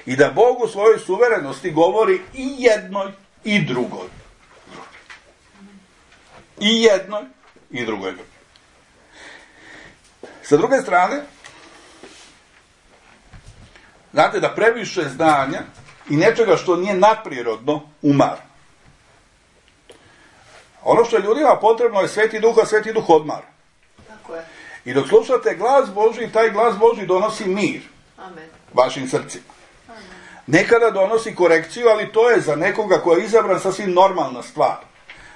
S1: I da Bog u svojoj suverenosti govori i jednoj i drugoj. I jednoj i drugoj. Sa druge strane, znate da previše znanja i nečega što nije nadprirodno umara. Ono što je ljudima potrebno je Sveti Duh, a Sveti Duh odmara.
S3: Tako je.
S1: I dok slušate glas Božji, taj glas Božji donosi mir
S3: Amen.
S1: vašim srcima.
S3: Amen.
S1: Nekada donosi korekciju, ali to je za nekoga ko je izabran sasvim normalna stvar.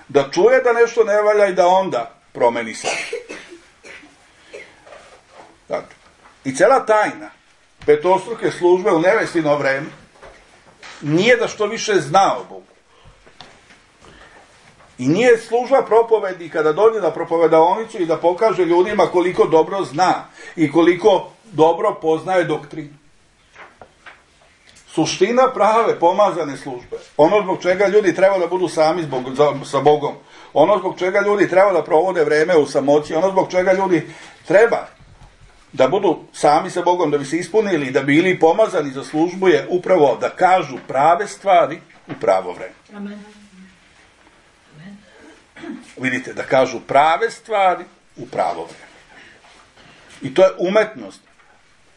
S1: Da čuje da nešto ne valja i da onda promeni se. Dakle, i cela tajna petostruke službe u nevestino vreme nije da što više zna o Bogu. I nije služba propovedi kada dođe na propovedaonicu i da pokaže ljudima koliko dobro zna i koliko dobro poznaje doktrinu. Suština prave pomazane službe, ono zbog čega ljudi treba da budu sami zbog, za, sa Bogom, ono zbog čega ljudi treba da provode vreme u samoći, ono zbog čega ljudi treba da budu sami sa Bogom, da bi se ispunili, da bi bili pomazani za službu, je upravo da kažu prave stvari u pravo vreme.
S4: Amen.
S1: Vidite, da kažu prave stvari u pravo vreme. I to je umetnost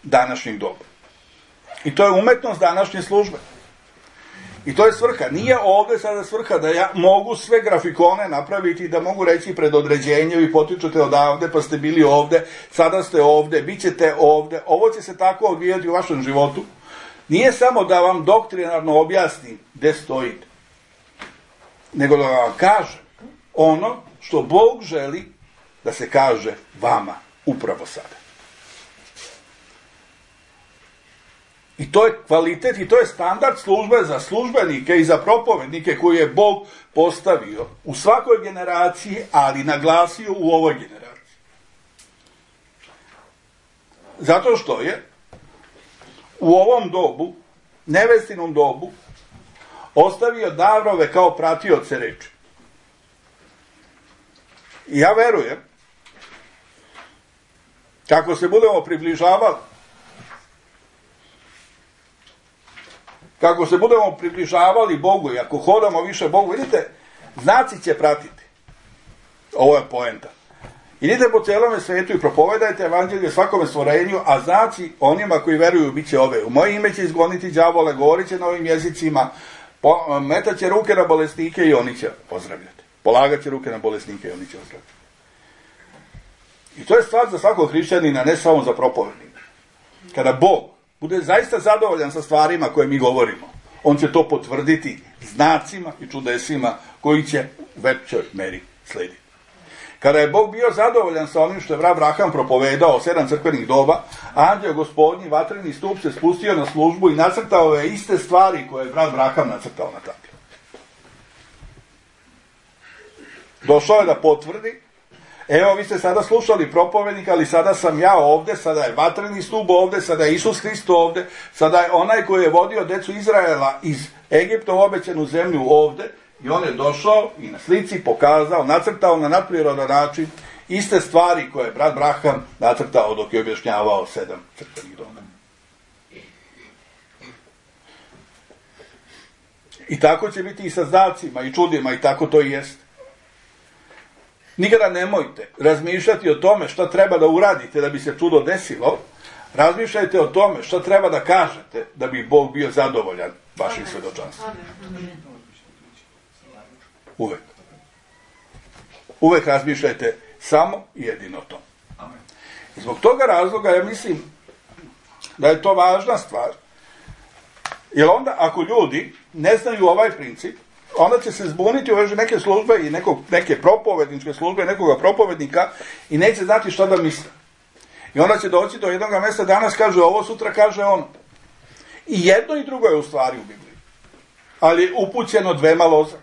S1: današnjeg doba. I to je umetnost današnje službe. I to je svrha. Nije ovdje sada svrha da ja mogu sve grafikone napraviti i da mogu reći pred određenjem i potičete odavde, pa ste bili ovdje, sada ste ovdje, bit ćete ovdje. Ovo će se tako odvijati u vašem životu. Nije samo da vam doktrinarno objasnim gdje stojite, nego da vam kažem ono što Bog želi da se kaže vama upravo sada. I to je kvalitet i to je standard službe za službenike i za propovednike koji je Bog postavio u svakoj generaciji, ali naglasio u ovoj generaciji. Zato što je u ovom dobu, nevestinom dobu, ostavio davrove kao pratioce reči. I ja verujem, kako se budemo približavali, kako se budemo približavali Bogu i ako hodamo više Bogu, vidite, znaci će pratiti. Ovo je poenta. Idite po cijelome svetu i propovedajte evanđelje svakome stvorenju, a znaci onima koji veruju bit će ove. U moje ime će izgoniti đavole, govorit će na ovim jezicima, metat će ruke na bolesnike i oni će ozdravljati. Polagat će ruke na bolesnike i oni će ozdravljati. I to je stvar za svakog hrišćanina, ne samo za propovednika. Kada Bog bude zaista zadovoljan sa stvarima koje mi govorimo, on će to potvrditi znacima i čudesima koji će u većoj meri slediti. Kada je Bog bio zadovoljan sa onim što je Abraham propovedao sedam crkvenih doba, anđeo gospodnji vatreni stup se spustio na službu i nacrtao ove iste stvari koje je brat Abraham nacrtao na tabli. Došao je da potvrdi, evo vi ste sada slušali propovednika, ali sada sam ja ovde, sada je vatreni stup ovde, sada je Isus Hrist ovde, sada je onaj koji je vodio decu Izraela iz Egipta u obećanu zemlju ovde, i on je došao i na slici pokazao, nacrtao na nadprirodan način iste stvari koje je brat Abraham nacrtao dok je objašnjavao sedam crkvenih doma. I tako će biti i sa znacima i čudima, i tako to i jest. Nikada nemojte razmišljati o tome šta treba da uradite da bi se čudo desilo. Razmišljajte o tome šta treba da kažete da bi Bog bio zadovoljan vašim svedočanstvom. Uvek. Uvek razmišljajte samo i jedino o tom. I zbog toga razloga ja mislim da je to važna stvar. Jer onda ako ljudi ne znaju ovaj princip, onda će se zbuniti u vezi neke službe i nekog, neke propovedničke službe, nekoga propovednika i neće znati šta da misle. I onda će doći do jednog mjesta, danas kaže ovo, sutra kaže ono. I jedno i drugo je u stvari u Bibliji. Ali je upućeno dvema loza.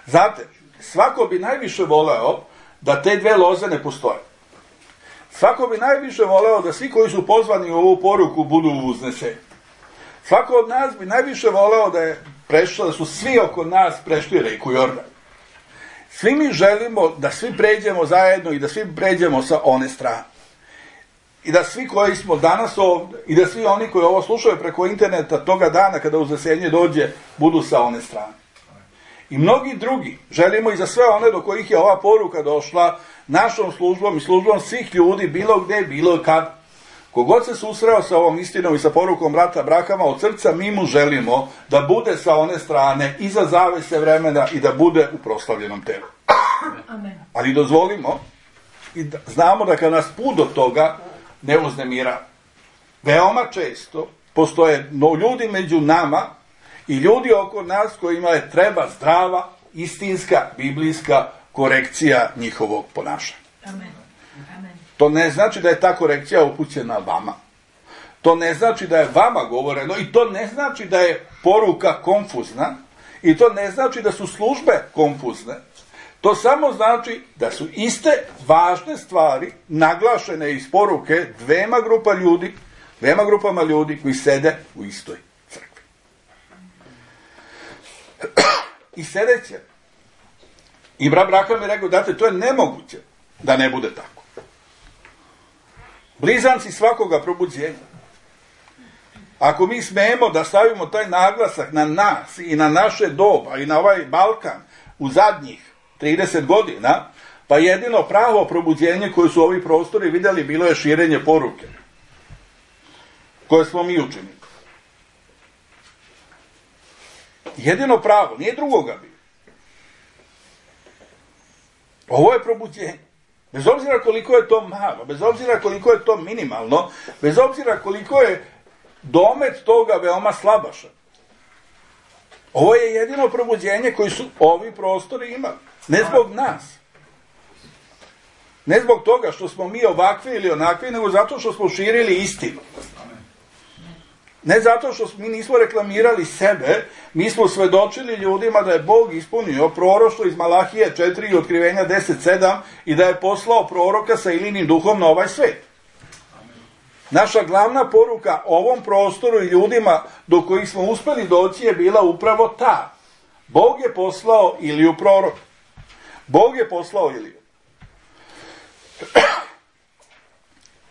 S1: Znate, svako bi najviše voleo da te dve loze ne postoje. Svako bi najviše voleo da svi koji su pozvani u ovu poruku budu uzneseni. Svako od nas bi najviše voleo da je prešlo, da su svi oko nas prešli reku Jordan. Svi mi želimo da svi pređemo zajedno i da svi pređemo sa one strane. I da svi koji smo danas ovdje i da svi oni koji ovo slušaju preko interneta toga dana kada uznesenje dođe budu sa one strane. I mnogi drugi želimo i za sve one do kojih je ova poruka došla našom službom i službom svih ljudi bilo gde, bilo kad. Kogod se susreo sa ovom istinom i sa porukom brata Abrahama od srca, mi mu želimo da bude sa one strane iza zavese vremena i da bude u proslavljenom telu.
S4: Amen.
S1: Ali dozvolimo i da znamo da kad nas put do toga ne uznemira. Veoma često postoje no, ljudi među nama i ljudi oko nas kojima je treba zdrava, istinska, biblijska korekcija njihovog ponašanja.
S4: Amen. Amen.
S1: To ne znači da je ta korekcija upućena vama. To ne znači da je vama govoreno i to ne znači da je poruka konfuzna i to ne znači da su službe konfuzne. To samo znači da su iste važne stvari naglašene iz poruke dvema grupa ljudi, dvema grupama ljudi koji sede u istoj crkvi. I sedeće. I brat Abraham je rekao, date, to je nemoguće da ne bude tako. Blizanci svakoga probuđenja. Ako mi smemo da stavimo taj naglasak na nas i na naše doba i na ovaj Balkan u zadnjih trideset godina, pa jedino pravo probuđenje koje su ovi prostori vidjeli bilo je širenje poruke koje smo mi učinili. Jedino pravo, nije drugoga bilo. Ovo je probuđenje. Bez obzira koliko je to malo, bez obzira koliko je to minimalno, bez obzira koliko je domet toga veoma slabašan. Ovo je jedino probuđenje koji su ovi prostori imali. Ne zbog nas. Ne zbog toga što smo mi ovakvi ili onakvi, nego zato što smo širili istinu. Ne zato što mi nismo reklamirali sebe, mi smo svedočili ljudima da je Bog ispunio proroštvo iz Malahije četiri i otkrivenja deset sedam i da je poslao proroka sa Ilinim duhom na ovaj svet. Naša glavna poruka ovom prostoru i ljudima do kojih smo uspeli doći je bila upravo ta. Bog je poslao Iliju proroka. Bog je poslao Iliju.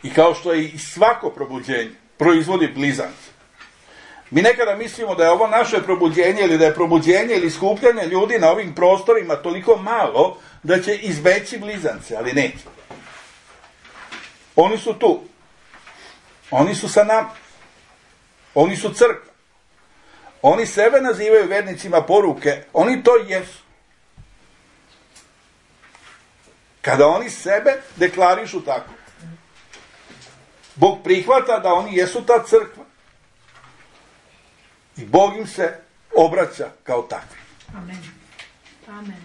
S1: I kao što je i svako probuđenje proizvodi blizanci. Mi nekada mislimo da je ovo naše probuđenje ili da je probuđenje ili skupljanje ljudi na ovim prostorima toliko malo da će izbeći blizance, ali neće. Oni su tu. Oni su sa nama. Oni su crkva. Oni sebe nazivaju vernicima poruke. Oni to jesu. Kada oni sebe deklarišu tako, Bog prihvata da oni jesu ta crkva. I Bog im se obraća kao takvi.
S4: Amen. Amen.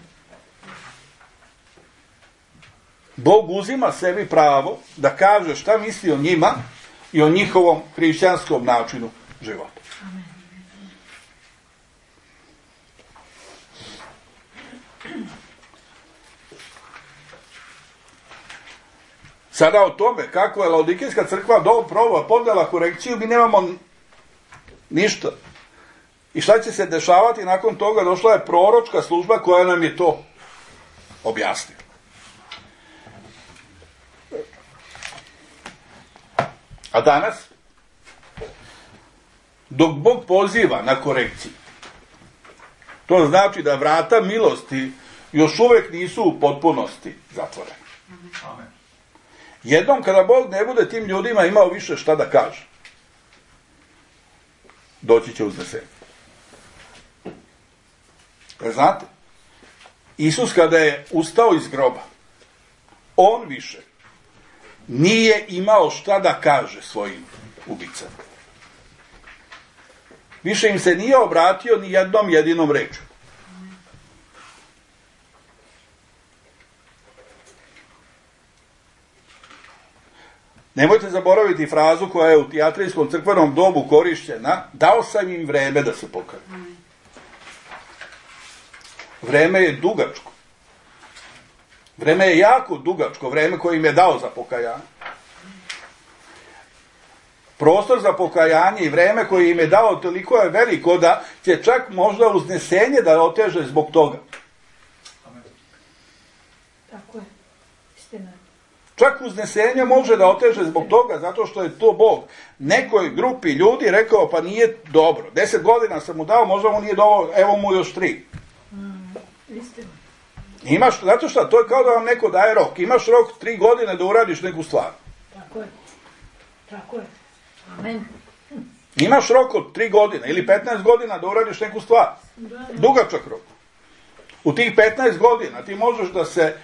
S1: Bog uzima sebi pravo da kaže šta misli o njima i o njihovom hrišćanskom načinu života. Sada o tome kako je Laodikejska crkva dobro podnela korekciju, mi nemamo ništa. I šta će se dešavati nakon toga? Došla je proročka služba koja nam je to objasnila. A danas, dok Bog poziva na korekciju, to znači da vrata milosti još uvijek nisu u potpunosti zatvorene.
S2: Amen.
S1: Jednom kada Bog ne bude tim ljudima imao više šta da kaže, doći će uznesenje. Jer znate, Isus kada je ustao iz groba, on više nije imao šta da kaže svojim ubicama. Više im se nije obratio ni jednom jedinom rečju. Nemojte zaboraviti frazu koja je u tijatrijskom crkvenom dobu korišćena: dao sam im vreme da se pokaju. Vreme je dugačko. Vreme je jako dugačko, vreme koje im je dao za pokajanje. Prostor za pokajanje i vreme koje im je dao toliko je veliko da će čak možda uznesenje da oteže zbog toga.
S2: Amen.
S4: Tako je. Istina.
S1: Čak uznesenje može da oteže zbog toga, zato što je to Bog nekoj grupi ljudi rekao, pa nije dobro. Deset godina sam mu dao, možda mu nije dovoljno, evo mu još tri.
S4: Mm, istina.
S1: Imaš, zato što to je kao da vam neko daje rok. Imaš rok tri godine da uradiš neku stvar.
S4: Tako je. Tako je. Amen.
S1: Imaš rok od tri godine ili petnaest godina da uradiš neku stvar.
S4: Da, da.
S1: Dugačak rok. U tih petnaest godina ti možeš da se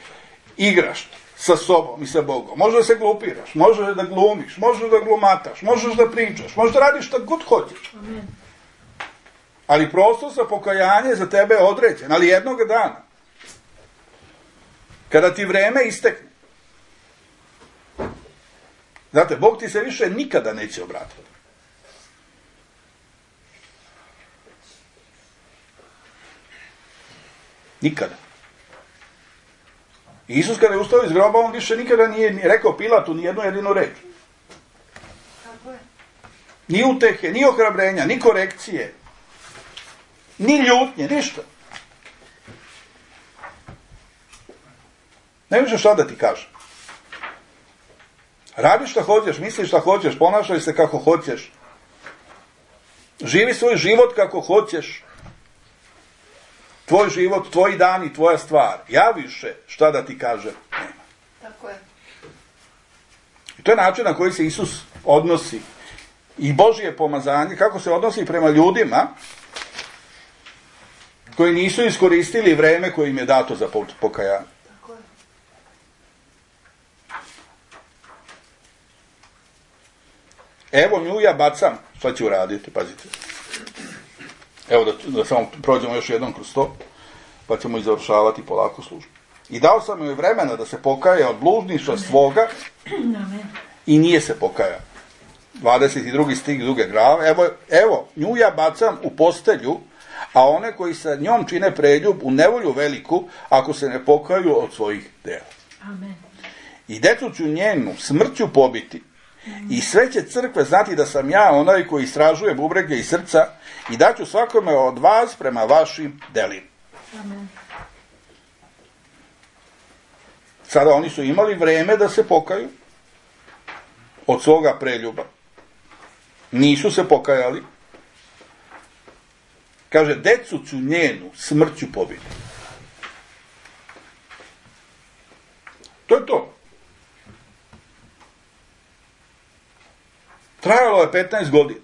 S1: igraš sa sobom i sa Bogom. Možeš da se glupiraš, možeš da glumiš, možeš da glumataš, možeš da pričaš, možeš da radiš šta god hoćeš.
S4: Amen.
S1: Ali prostor za pokajanje za tebe je određen, ali jednog dana, kada ti vreme istekne, znate, Bog ti se više nikada neće obratiti. Nikada. Isus kada je ustao iz groba, on više nikada nije rekao Pilatu ni jednu jedinu reč.
S3: Tako je.
S1: Ni utehe, ni ohrabrenja, ni korekcije, ni ljutnje, ništa. Ne više šta da ti kažem. Radi šta hoćeš, misli šta hoćeš, ponašaj se kako hoćeš. Živi svoj život kako hoćeš. Tvoj život, tvoj dan i tvoja stvar. Ja više šta da ti kažem nema.
S3: Tako je.
S1: I to je način na koji se Isus odnosi. I Božje pomazanje, kako se odnosi prema ljudima koji nisu iskoristili vreme koje im je dato za pokajanje.
S3: Tako je.
S1: Evo nju ja bacam. Šta će uraditi? Pazite. Evo da, da samo prođemo još jednom kroz to, pa ćemo i završavati polako službu. I dao sam joj vremena da se pokaje od bludništva svoga i nije se pokajao. dvadeset drugi stih druge glave. Evo, evo, nju ja bacam u postelju, a one koji sa njom čine preljub u nevolju veliku, ako se ne pokaju od svojih dela.
S4: Amen.
S1: I decu ću njenu smrću pobiti. I sve će crkve znati da sam ja onaj koji istražuje bubrege i srca i daću svakome od vas prema vašim delima.
S4: Amen.
S1: Sada oni su imali vreme da se pokaju od svoga preljuba. Nisu se pokajali. Kaže, decu ću njenu smrću pobiti. To je to. Trajalo je petnaest godina.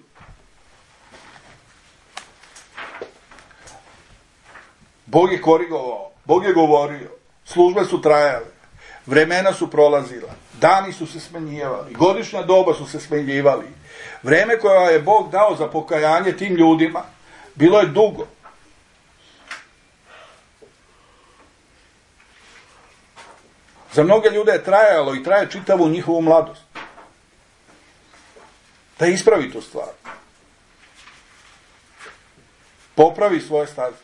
S1: Bog je korigovao, Bog je govorio, službe su trajale, vremena su prolazila, dani su se smenjivali, godišnja doba su se smenjivali. Vreme koje je Bog dao za pokajanje tim ljudima bilo je dugo. Za mnoge ljude je trajalo i traje čitavu njihovu mladost. Da ispravi tu stvar. Popravi svoje staze.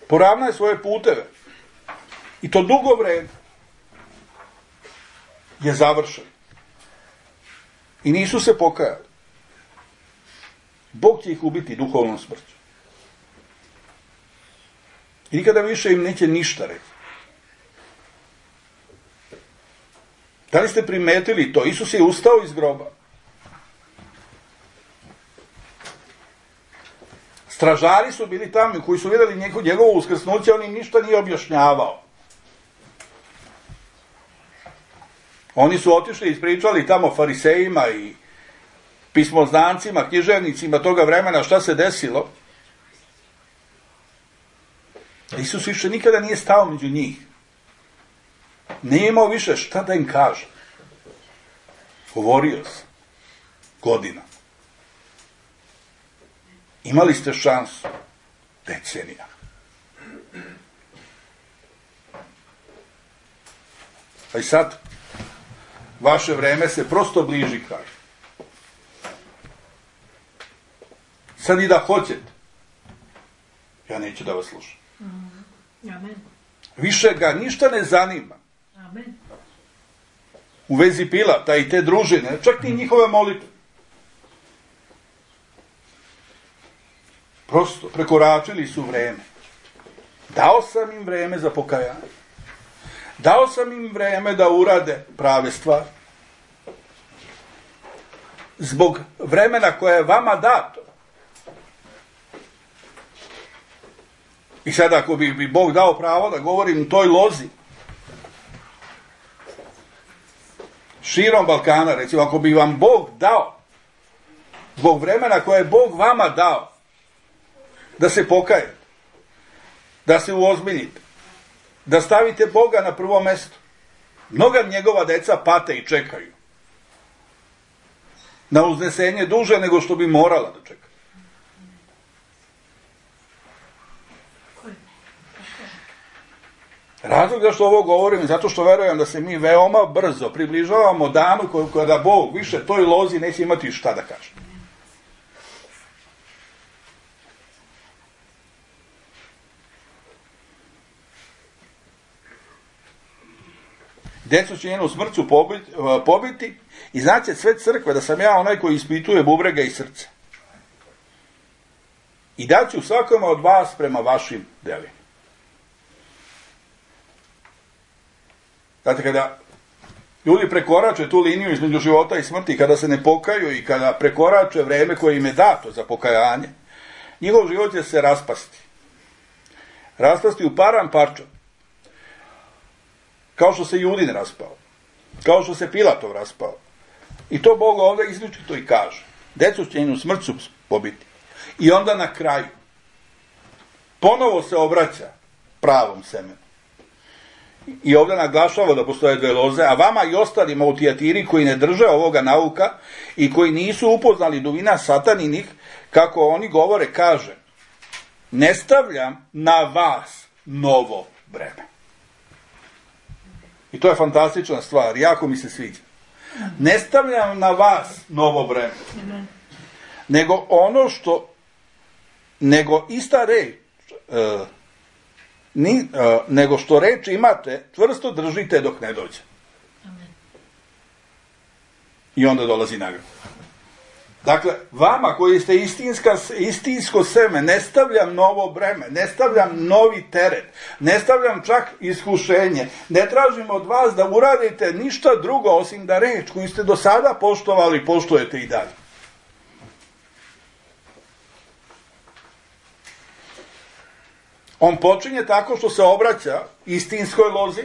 S1: Poravnaj svoje puteve. I to dugo vreme je završeno. I nisu se pokajali. Bog će ih ubiti duhovnom smrću. I nikada više im neće ništa reći. Da li ste primetili to? Isus je ustao iz groba. Stražari su bili tamo koji su vidjeli njegovo uskrsnuće, on im ništa nije objašnjavao. Oni su otišli i ispričali tamo farisejima i pismoznancima, književnicima toga vremena šta se desilo. Isus više nikada nije stao među njih. Nije imao više šta da im kaže. Govorio se. Godina. Imali ste šansu. Decenija. A i sad, vaše vreme se prosto bliži kraju. Sad i da hoćete, ja neću da vas slušam.
S4: Amen.
S1: Više ga ništa ne zanima.
S4: Amen.
S1: U vezi Pilata i te družine, čak ni njihove molitve. Prosto, prekoračili su vreme. Dao sam im vreme za pokajanje. Dao sam im vreme da urade prave stvari. Zbog vremena koje je vama dato. I sad ako bi, bi Bog dao pravo da govorim u toj lozi, širom Balkana, recimo, ako bi vam Bog dao, zbog vremena koje je Bog vama dao, da se pokajete, da se uozbiljite, da stavite Boga na prvo mesto. Mnoga njegova deca pate i čekaju na uznesenje duže nego što bi morala da čeka. Razlog da što ovo govorim je zato što verujem da se mi veoma brzo približavamo danu kada Bog više toj lozi neće imati šta da kaže. Decu će njenu smrću pobiti, pobiti i znaće sve crkve da sam ja onaj koji ispituje bubrega i srce. I daću svakome od vas prema vašim delima. Znate, kada ljudi prekorače tu liniju između života i smrti, kada se ne pokaju i kada prekorače vreme koje im je dato za pokajanje, njihov život će se raspasti. Raspasti u param parčad. Kao što se Judin raspao. Kao što se Pilatov raspao. I to Bog ovdje izričito i kaže. Decu će njenu smrću pobiti. I onda na kraju ponovo se obraća pravom semenu. I ovdje naglašava da postoje dve loze, a vama i ostalima u Tijatiri koji ne drže ovoga nauka i koji nisu upoznali dubina sataninih, kako oni govore, kaže, ne stavljam na vas novo breme. I to je fantastična stvar, jako mi se sviđa. Ne stavljam na vas novo breme, nego ono što, nego ista reč, uh, Ni, uh, nego što reč imate, čvrsto držite dok ne dođe. Amen. I onda dolazi nagrada. Dakle, vama koji ste istinska, istinsko seme, ne stavljam novo breme, ne stavljam novi teret, ne stavljam čak iskušenje, ne tražim od vas da uradite ništa drugo osim da reč koju ste do sada poštovali, poštujete i dalje. On počinje tako što se obraća istinskoj lozi,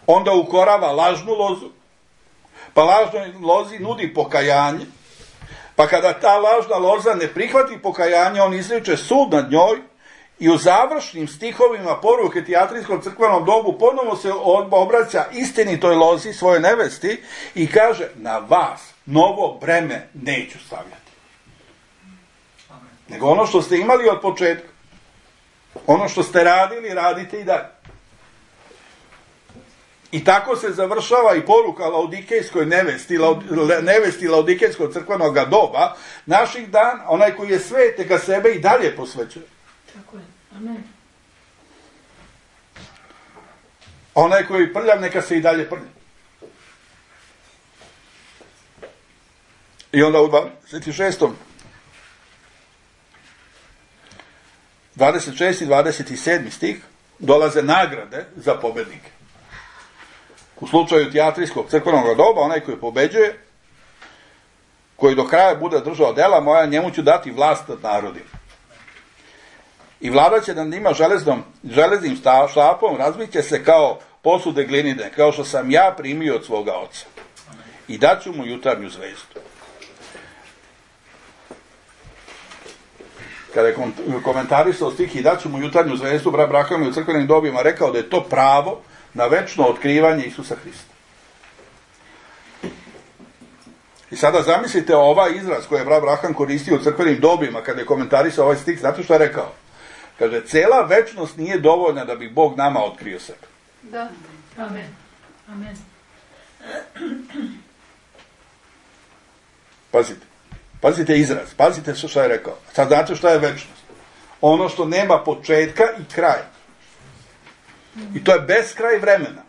S1: onda ukorava lažnu lozu, pa lažnoj lozi nudi pokajanje, pa kada ta lažna loza ne prihvati pokajanje, on izriče sud nad njoj i u završnim stihovima poruke Tijatrijskom crkvenom dobu ponovo se obraća istinitoj lozi, svoje nevesti, i kaže, na vas novo breme neću stavljati. Nego ono što ste imali od početka. Ono što ste radili, radite i dalje. I tako se završava i poruka laodikejskoj nevesti, laud, nevesti laodikejskog crkvenog doba, naših dan, onaj koji je svet, neka sebe i dalje posvećuje.
S4: Tako je. Amen.
S1: Onaj koji je prljav, neka se i dalje prlja. I onda u dvadeset šestom dvadeset šesti i dvadeset sedmi stih dolaze nagrade za pobednike. U slučaju teatrijskog crkvenog doba, onaj koji pobeđuje, koji do kraja bude držao dela moja, njemu ću dati vlast nad narodima. I vlada će nad njima železnom, železnim štapom, razbit će se kao posude glinine, kao što sam ja primio od svoga oca. I daću mu jutarnju zvezdu. Kada je komentarisao stih i daću mu jutarnju zvezdu, brat Braham je u crkvenim dobima rekao da je to pravo na večno otkrivanje Isusa Hrista. I sada zamislite ovaj izraz koji je brat Braham koristio u crkvenim dobima kada je komentarisao ovaj stih, znate što je rekao? Kaže, cela večnost nije dovoljna da bi Bog nama otkrio sebe.
S3: Da.
S4: Amen. Amen.
S1: Pazite. Pazite izraz. Pazite što je rekao. Sad znate što je večnost. Ono što nema početka i kraja. I to je beskraj vremena.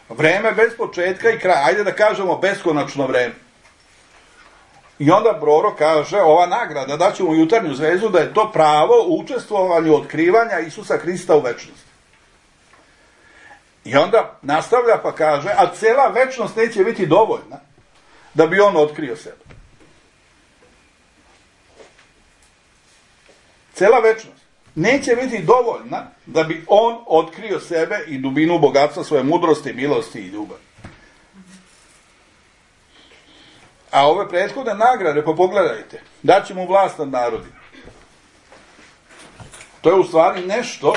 S1: Vreme bez početka i kraja. Ajde da kažemo beskonačno vreme. I onda prorok kaže, ova nagrada, daću mu jutarnju zvezdu, da je to pravo u učestvovanju otkrivanja Isusa Hrista u večnosti. I onda nastavlja pa kaže, a cela večnost neće biti dovoljna da bi on otkrio sebe. Cela večnost neće biti dovoljna da bi on otkrio sebe i dubinu bogatstva svoje mudrosti, milosti i ljubavi. A ove prethodne nagrade, pa pogledajte, daće mu vlast nad narodima. To je u stvari nešto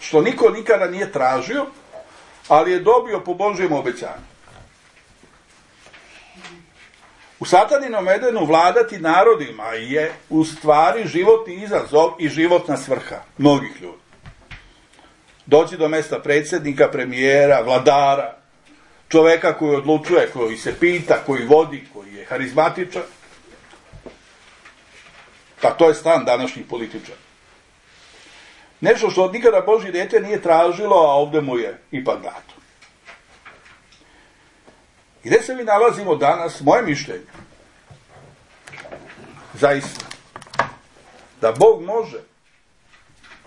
S1: što niko nikada nije tražio, ali je dobio po Božjem obećanju. U Sataninom Edenu vladati narodima je u stvari životni izazov i životna svrha mnogih ljudi. Doći do mesta predsjednika, premijera, vladara, čoveka koji odlučuje, koji se pita, koji vodi, koji je harizmatičan. Pa to je stan današnjih političara. Nešto što od nikada Božje dijete nije tražilo, a ovdje mu je ipak dato. I gdje se mi nalazimo danas, moje mišljenje, zaista, da Bog može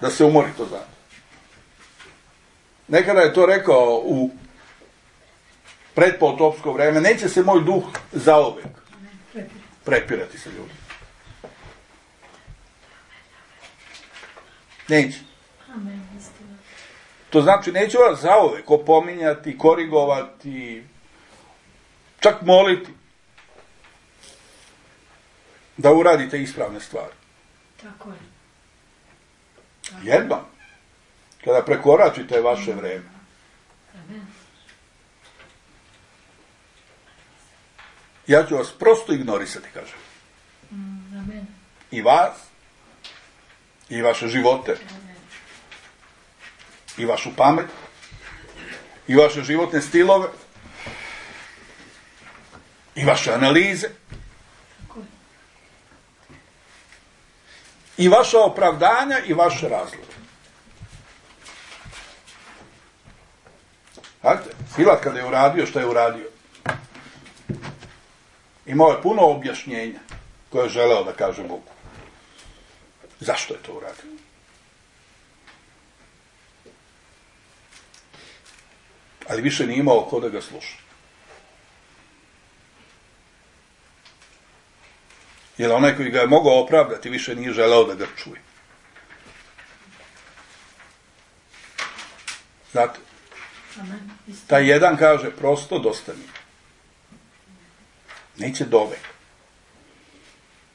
S1: da se umori to znate. Nekada je to rekao u predpotopsko vreme, neće se moj duh zaovek prepirati sa ljudima. Neće. To znači, neće vas zaovek opominjati, korigovati, čak moliti da uradite ispravne stvari.
S4: Tako je. Tako.
S1: Jednom, kada prekoračite vaše vreme,
S4: Amen.
S1: ja ću vas prosto ignorisati, kažem.
S4: Mm, amen.
S1: I vas, i vaše živote,
S4: Amen.
S1: i vašu pamet, i vaše životne stilove, i vaše analize,
S4: Tako je.
S1: i vaša opravdanja, i vaše razloge. Znate, Pilat kada je uradio što je uradio, imao je puno objašnjenja koje je želeo da kaže Bogu. Zašto je to uradio? Ali više nije imao ko da ga sluša. Jer onaj koji ga je mogao opravdati više nije želeo da ga čuje. Znate,
S4: Amen. Istina.
S1: taj jedan kaže prosto dosta mi. Neće dovek.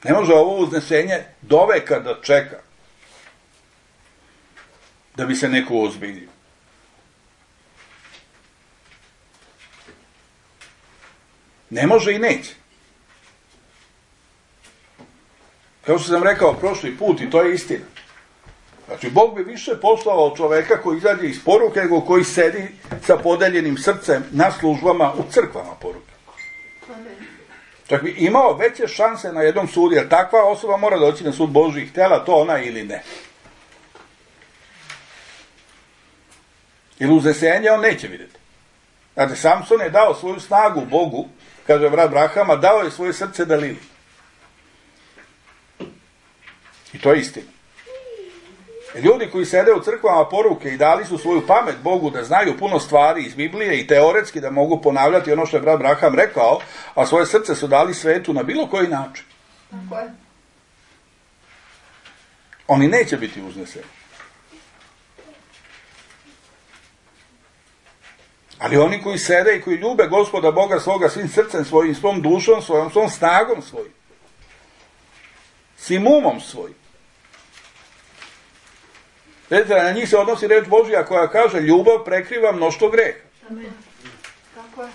S1: Ne može ovo uznesenje doveka da čeka da bi se neko ozbiljio. Ne može i neće. Kao što sam rekao prošli put, i to je istina. Znači, Bog bi više poslao čoveka koji izađe iz poruke, nego koji sedi sa podeljenim srcem na službama u crkvama poruke. Čak bi imao veće šanse na jednom sudu, jer takva osoba mora doći na sud Božji, htjela to ona ili ne. Ili uznesenje on neće vidjeti. Znači, Samson je dao svoju snagu Bogu, kaže brat Brahama, dao je svoje srce Dalili. I to je istina. Ljudi koji sede u crkvama poruke i dali su svoju pamet Bogu da znaju puno stvari iz Biblije i teoretski da mogu ponavljati ono što je brat Braham rekao, a svoje srce su dali svetu na bilo koji način.
S3: Tako je.
S1: Oni neće biti uzneseni. Ali oni koji sede i koji ljube Gospoda Boga svoga svim srcem svojim, svom dušom svojom, svom snagom svojim, svim umom svojim. Vidite, na njih se odnosi reč Božja koja kaže ljubav prekriva mnoštvo greha.
S3: Amen. Tako je.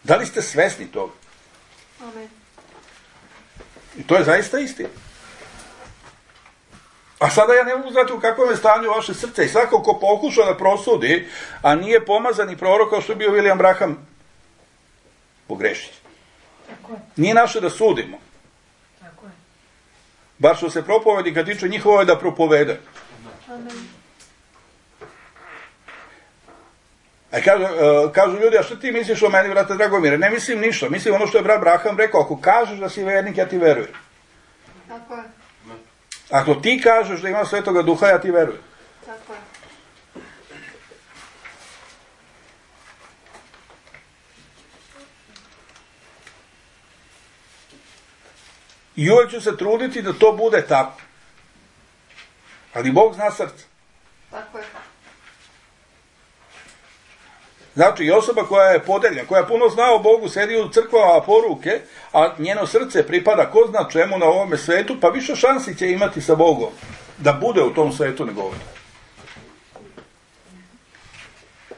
S1: Da li ste svesni toga?
S3: Amen.
S1: I to je zaista istina. A sada ja ne mogu znati u kakvom je stanju vaše srce i svako ko pokuša da prosudi, a nije pomazani prorok kao što je bio William Branham, pogrešit.
S4: Tako je.
S1: Nije naše da sudimo.
S4: Tako je.
S1: Bar što se propovednika tiče, njihovo je da propovede.
S3: Amen.
S1: A kažu, uh, kažu ljudi, a što ti misliš o meni, brate Dragomire? Ne mislim ništa. Mislim ono što je brat Braham rekao, ako kažeš da si vernik, ja ti verujem.
S3: Tako je.
S1: Ako ti kažeš da ima Svetoga Duha, ja ti verujem.
S3: Tako je.
S1: I uvijek ću se truditi da to bude tako. Ali Bog zna srce.
S3: Tako je.
S1: Znači, i osoba koja je podeljena, koja puno zna o Bogu, sedi u crkvama poruke, a njeno srce pripada ko zna čemu na ovome svetu, pa više šansi će imati sa Bogom da bude u tom svetu nego ovdje.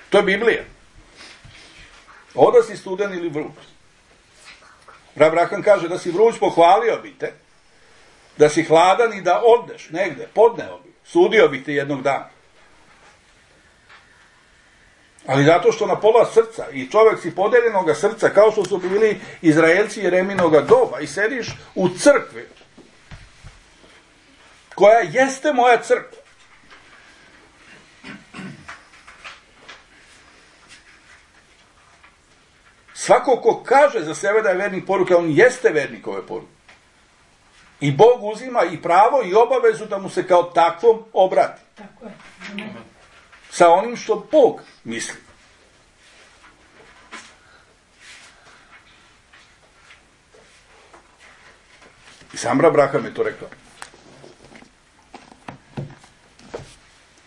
S1: To je Biblija. Oda si studen ili vruć. Brat Braham kaže da si vruć, pohvalio bi te, da si hladan i da odneš negde, podneo bi, sudio bih te jednog dana. Ali zato što na pola srca i čovjek si podeljenoga srca, kao što su bili Izraelci Jereminoga doba, i sediš u crkvi, koja jeste moja crkva. Svako ko kaže za sebe da je vernik poruke, on jeste vernik ove poruke. I Bog uzima i pravo i obavezu da mu se kao takvom obrati.
S4: Tako je. Amen.
S1: Sa onim što Bog misli. I sam brat Braham je to rekao.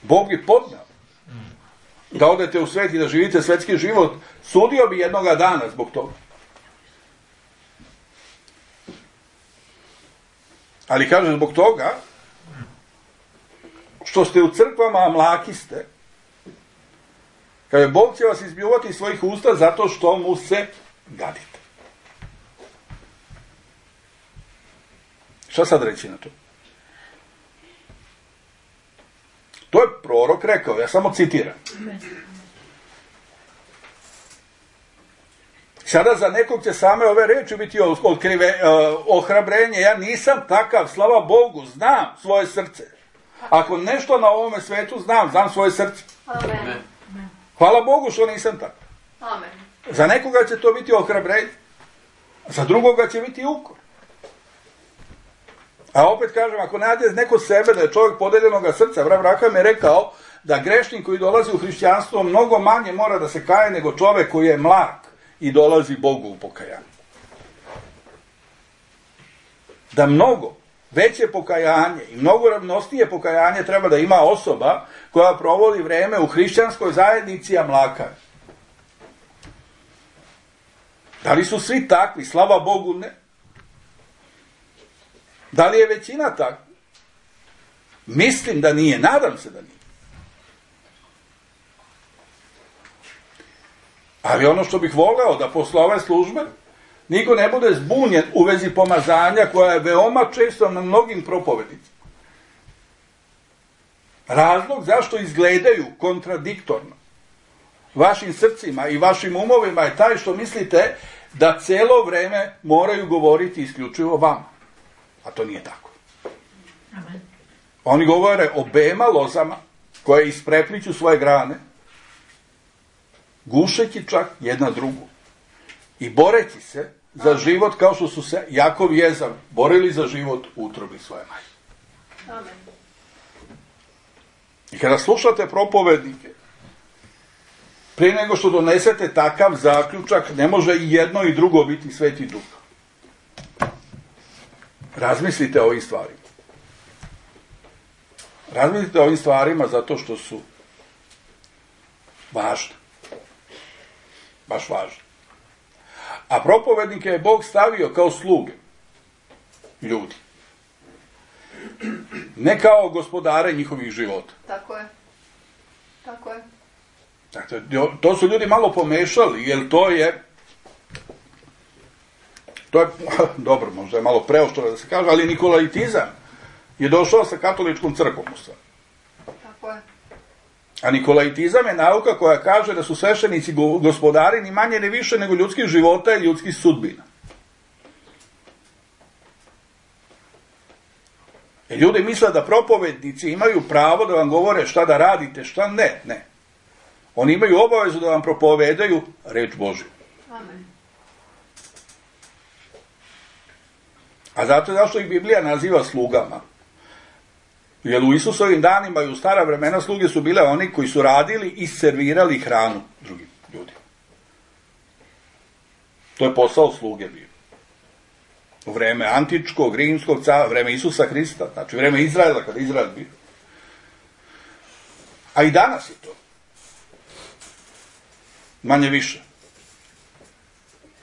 S1: Bog je podnao da odete u svet i da živite svetski život, sudio bi jednoga dana zbog toga. Ali kaže zbog toga što ste u crkvama, a mlaki ste, kaže Bog će vas izbljuvati iz svojih usta zato što mu se gadite. Šta sad reći na to? To je prorok rekao, ja samo citiram. Sada za nekog će same ove reči biti otkrive, ohrabrenje. Ja nisam takav, slava Bogu, znam svoje srce. Ako nešto na ovome svetu znam, znam svoje srce.
S3: Amen.
S1: Hvala Bogu što nisam takav.
S3: Amen.
S1: Za nekoga će to biti ohrabrenje, za drugoga će biti ukor. A opet kažem, ako nađe neko sebe da je čovjek podeljenoga srca, brat Braham je rekao da grešnik koji dolazi u hrišćanstvo mnogo manje mora da se kaje nego čovjek koji je mlak i dolazi Bogu u pokajanje. Da mnogo veće pokajanje i mnogo ravnosnije pokajanje treba da ima osoba koja provodi vreme u hrišćanskoj zajednici, a mlaka. Da li su svi takvi? Slava Bogu, ne. Da li je većina takva? Mislim da nije, nadam se da nije. Ali ono što bih voleo da posle ove službe, Niko ne bude zbunjen u vezi pomazanja koja je veoma često na mnogim propovednicima. Razlog zašto izgledaju kontradiktorno vašim srcima i vašim umovima je taj što mislite da celo vreme moraju govoriti isključivo vama. A to nije tako.
S4: Amen.
S1: Oni govore o bema lozama koje isprepliću svoje grane, gušeći čak jedna drugu i boreći se za život kao što su se Jakov i Ezav borili za život u utrobi svoje majke.
S3: Amen.
S1: I kada slušate propovednike, prije nego što donesete takav zaključak, ne može i jedno i drugo biti Sveti Duh. Razmislite o ovim stvarima. Razmislite o ovim stvarima zato što su važne. Baš važne. A propovednike je Bog stavio kao sluge ljudi. Ne kao gospodare njihovih života.
S3: Tako je. Tako je.
S1: Dakle, to su ljudi malo pomešali, jer to je, to je, dobro, možda je malo preoštro da se kaže, ali nikolaitizam je došao sa katoličkom crkvom u stvari.
S3: Tako je.
S1: A nikolaitizam je nauka koja kaže da su sveštenici gospodari ni manje ni više nego ljudskih života i ljudskih sudbina. I ljudi misle da propovednici imaju pravo da vam govore šta da radite, šta ne, ne. Oni imaju obavezu da vam propovedaju reč Božju.
S3: Amen.
S1: A zato zašto ih Biblija naziva slugama? Jer u Isusovim danima i u stara vremena sluge su bile oni koji su radili i servirali hranu drugim ljudima. To je posao sluge bio. U vreme antičkog, rimskog cara, vreme Isusa Hrista, znači vreme Izraela, kada Izrael bio. A i danas je to. Manje više.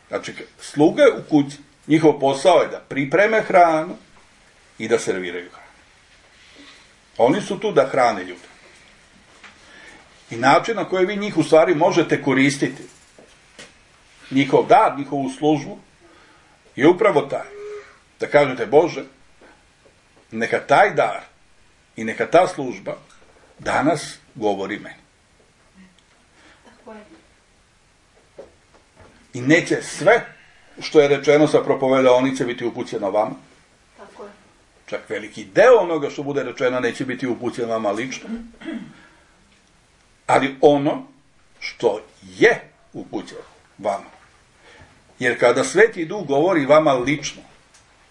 S1: Znači, sluge u kući, njihov posao je da pripreme hranu i da serviraju hranu. Oni su tu da hrane ljude. I način na koji vi njih u stvari možete koristiti, njihov dar, njihovu službu, je upravo taj. Da kažete, Bože, neka taj dar i neka ta služba danas govori meni.
S3: Tako je.
S1: I neće sve što je rečeno sa propovedaonice biti upućeno vama.
S3: Tako je.
S1: Čak veliki deo onoga što bude rečeno neće biti upućeno vama lično. Ali ono što je upućeno vama. Jer kada Sveti Duh govori vama lično,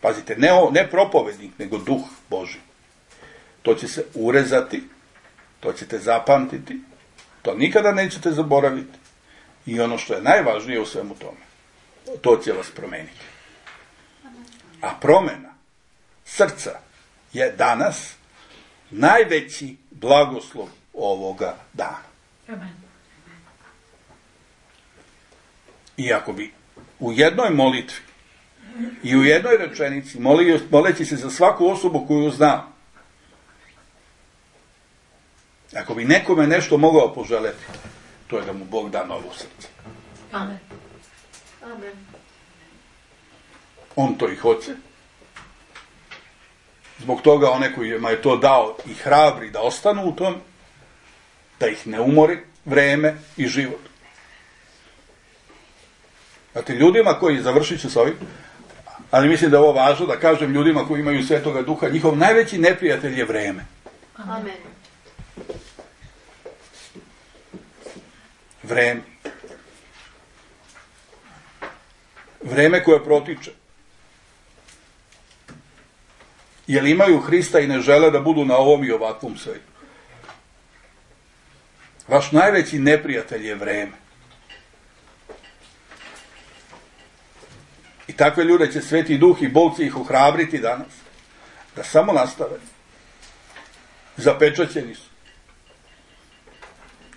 S1: pazite, ne, o, ne propovednik, nego Duh Božji, to će se urezati, to ćete zapamtiti, to nikada nećete zaboraviti. I ono što je najvažnije u svemu tome, to će vas promeniti. A promena srca je danas najveći blagoslov ovoga dana.
S4: Amen.
S1: I ako bi u jednoj molitvi i u jednoj rečenici, moli, moleći se za svaku osobu koju znam, ako bi nekome nešto mogao poželeti, to je da mu Bog da novo srce.
S4: Amen.
S3: Amen.
S1: On to i hoće. Zbog toga one kojima je to dao i hrabri da ostanu u tom, da ih ne umori vreme i život. Znate, ljudima koji, završit ću s ovim, ali mislim da je ovo važno da kažem ljudima koji imaju Svetoga Duha, njihov najveći neprijatelj je vreme.
S3: Amen.
S1: Vreme. Vreme koje protiče. Jer imaju Hrista i ne žele da budu na ovom i ovakvom svetu. Vaš najveći neprijatelj je vreme. I takve ljude će Sveti Duh i Bog će ih ohrabriti danas. Da samo nastave. Zapečaćeni su.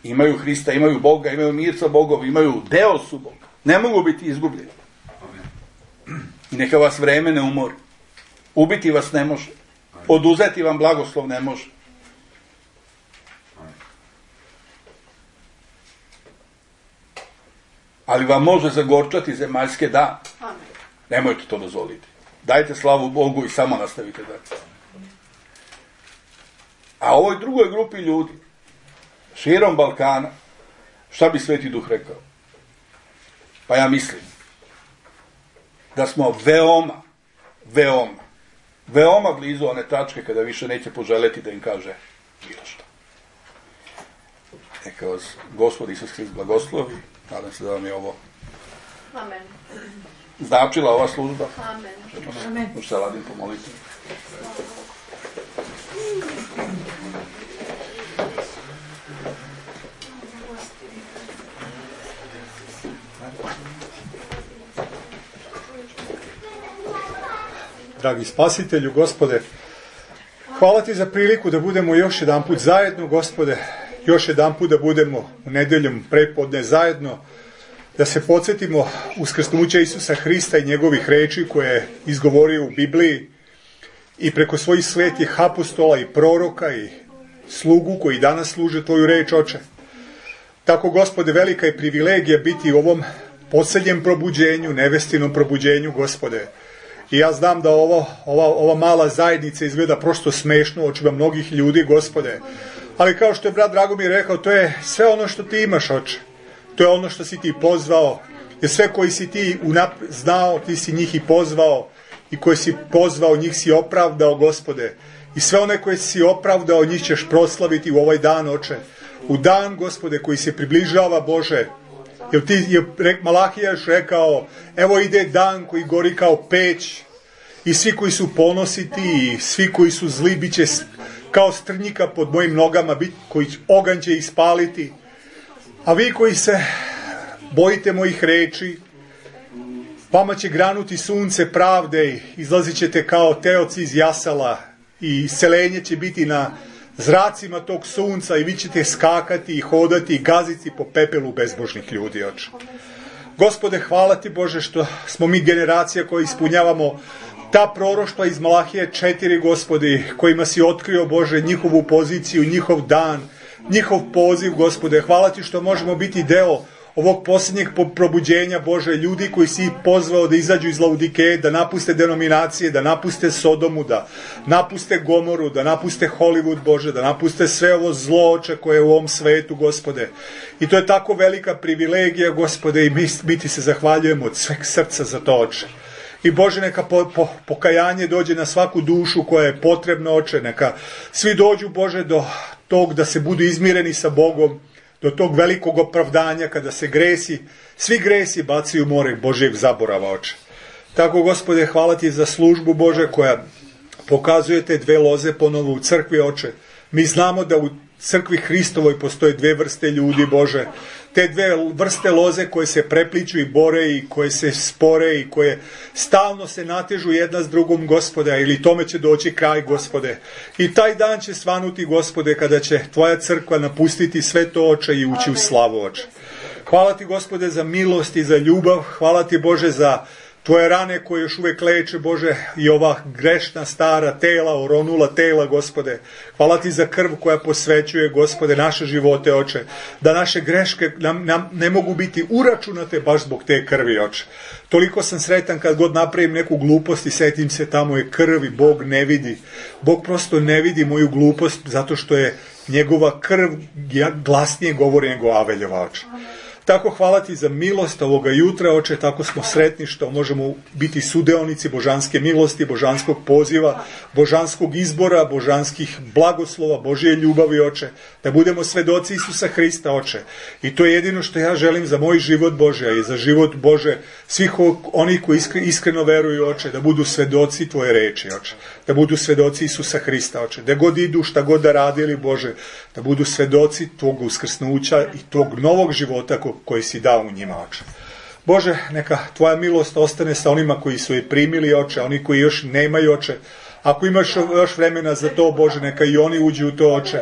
S1: Imaju Hrista, imaju Boga, imaju mir sa Bogom, imaju deo su Boga. Ne mogu biti izgubljeni. I neka vas vreme ne umori. Ubiti vas ne može. Oduzeti vam blagoslov ne može. Ali vam može zagorčati zemaljske dane.
S3: Amen.
S1: Nemojte to dozvoliti. Dajte slavu Bogu i samo nastavite dalje. A ovoj drugoj grupi ljudi, širom Balkana, šta bi Sveti Duh rekao? Pa ja mislim da smo veoma, veoma, veoma blizu one tačke kada više neće poželeti da im kaže bilo što. Neka vas Gospod Isus Hrist blagoslovi. Nadam se da vam je ovo
S3: Amen.
S1: značila ova služba.
S3: Amen.
S4: Amen.
S1: Možete se Ladim pomoliti.
S5: Dragi Spasitelju, Gospode, hvala Ti za priliku da budemo još jedan put zajedno, Gospode, još jedan put da budemo u nedeljom prepodne zajedno, da se podsjetimo uskrsnuća Isusa Hrista i njegovih reči koje je izgovorio u Bibliji i preko svojih svetih apostola i proroka i slugu koji danas služe Tvoju reč, Oče. Tako, Gospode, velika je privilegija biti u ovom posljednjem probuđenju, nevestinom probuđenju, Gospode. I ja znam da ovo, ova, ova mala zajednica izgleda prosto smešno u očima mnogih ljudi, Gospode. Ali kao što je brat Dragomir rekao, to je sve ono što Ti imaš, Oče. To je ono što si Ti pozvao. Jer sve koji si Ti unap znao, Ti si njih i pozvao. I koji si pozvao, njih si opravdao, Gospode. I sve one koje si opravdao, njih ćeš proslaviti u ovaj dan, Oče. U dan, Gospode, koji se približava, Bože. Jer ti je Malahija još rekao, evo ide dan koji gori kao peć i svi koji su ponositi i svi koji su zli bit će kao strnjika pod mojim nogama, bit, koji oganj će ih spaliti. A vi koji se bojite mojih reči, vama će granuti sunce pravde i izlazit ćete kao teoci iz jasala i iscelenje će biti na zracima tog sunca i vi ćete skakati i hodati i gaziti po pepelu bezbožnih ljudi, Oče. Gospode, hvala Ti, Bože, što smo mi generacija koja ispunjavamo ta proroštva iz Malahije četiri, Gospodi, kojima si otkrio, Bože, njihovu poziciju, njihov dan, njihov poziv, Gospode. Hvala Ti što možemo biti deo ovog posljednjeg probuđenja, Bože, ljudi koji si pozvao da izađu iz Laudikeje, da napuste denominacije, da napuste Sodomu, da napuste Gomoru, da napuste Hollywood, Bože, da napuste sve ovo zlo, Oče, koje je u ovom svetu, Gospode. I to je tako velika privilegija, Gospode, i mi, mi Ti se zahvaljujemo od sveg srca za to, Oče. I Bože, neka po, po, pokajanje dođe na svaku dušu koja je potrebna, Oče, neka svi dođu, Bože, do tog da se budu izmireni sa Bogom, do tog velikog opravdanja kada se gresi, svi gresi bacaju u more Božjeg zaborava, Oče. Tako, Gospode, hvala Ti za službu, Bože, koja pokazuje te dve loze ponovo u crkvi, Oče. Mi znamo da u crkvi Hristovoj postoje dve vrste ljudi, Bože. Te dve vrste loze koje se prepliču i bore i koje se spore i koje stalno se natežu jedna s drugom, Gospode, ili tome će doći kraj, Gospode. I taj dan će svanuti, Gospode, kada će Tvoja crkva napustiti sve to, Oče, i ući u slavu, Oče. Hvala Ti, Gospode, za milost i za ljubav. Hvala Ti, Bože, za Tvoje rane koje još uvijek leče, Bože, i ova grešna stara tela, oronula tela, Gospode. Hvala Ti za krv koja posvećuje, Gospode, naše živote, Oče. Da naše greške nam, nam ne mogu biti uračunate baš zbog te krvi, Oče. Toliko sam sretan kad god napravim neku glupost i setim se tamo je krv i Bog ne vidi. Bog prosto ne vidi moju glupost zato što je njegova krv glasnije govori nego Aveljeva, Oče. Tako hvala Ti za milost ovoga jutra, Oče, tako smo sretni što možemo biti sudeonici božanske milosti, božanskog poziva, božanskog izbora, božanskih blagoslova, Božje ljubavi, Oče, da budemo svedoci Isusa Hrista, Oče. I to je jedino što ja želim za moj život, Bože, a i za život, Bože, svih onih koji iskreno veruju, Oče, da budu svedoci Tvoje reči, Oče, da budu svedoci Isusa Hrista, Oče, da god idu, šta god da radili, Bože, da budu svedoci Tvog uskrsnuća i Tvog novog života koji si dao u njima, Oče. Bože, neka Tvoja milost ostane sa onima koji su je primili, Oče, oni koji još nemaju, Oče. Ako imaš još vremena za to, Bože, neka i oni uđu u to, Oče.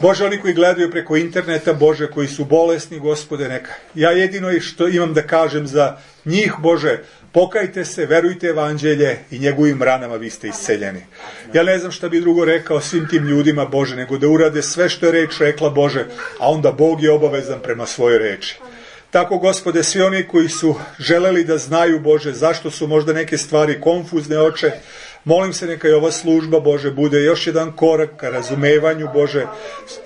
S5: Bože, oni koji gledaju preko interneta, Bože, koji su bolesni, Gospode, neka. Ja jedino što imam da kažem za njih, Bože, pokajte se, verujte evanđelje i njegovim ranama vi ste isceljeni. Ja ne znam šta bi drugo rekao svim tim ljudima, Bože, nego da urade sve što je reč rekla, Bože, a onda Bog je obavezan prema svojoj reči. Tako, Gospode, svi oni koji su želeli da znaju, Bože, zašto su možda neke stvari konfuzne, Oče, molim se neka i ova služba, Bože, bude još jedan korak ka razumevanju, Bože,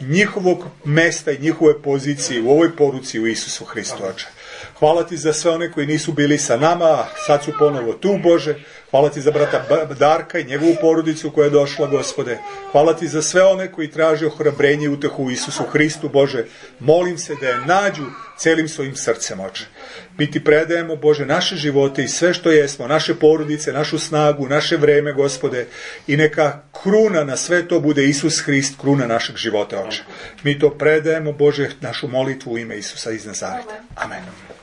S5: njihovog mesta i njihove pozicije u ovoj poruci u Isusu Hristu, Oče. Hvala ti za sve one koji nisu bili sa nama, a sad su ponovo tu, Bože. Hvala ti za brata Darka i njegovu porodicu koja je došla, Gospode. Hvala ti za sve one koji traže ohrabrenje i utehu u Isusu Hristu, Bože. Molim se da je nađu celim svojim srcem, Oče. Mi ti predajemo, Bože, naše živote i sve što jesmo, naše porodice, našu snagu, naše vreme, Gospode, i neka kruna na sve to bude Isus Hrist, kruna našeg života, Oče. Mi to predajemo, Bože, našu molitvu u ime Isusa iz Nazareta. Amen.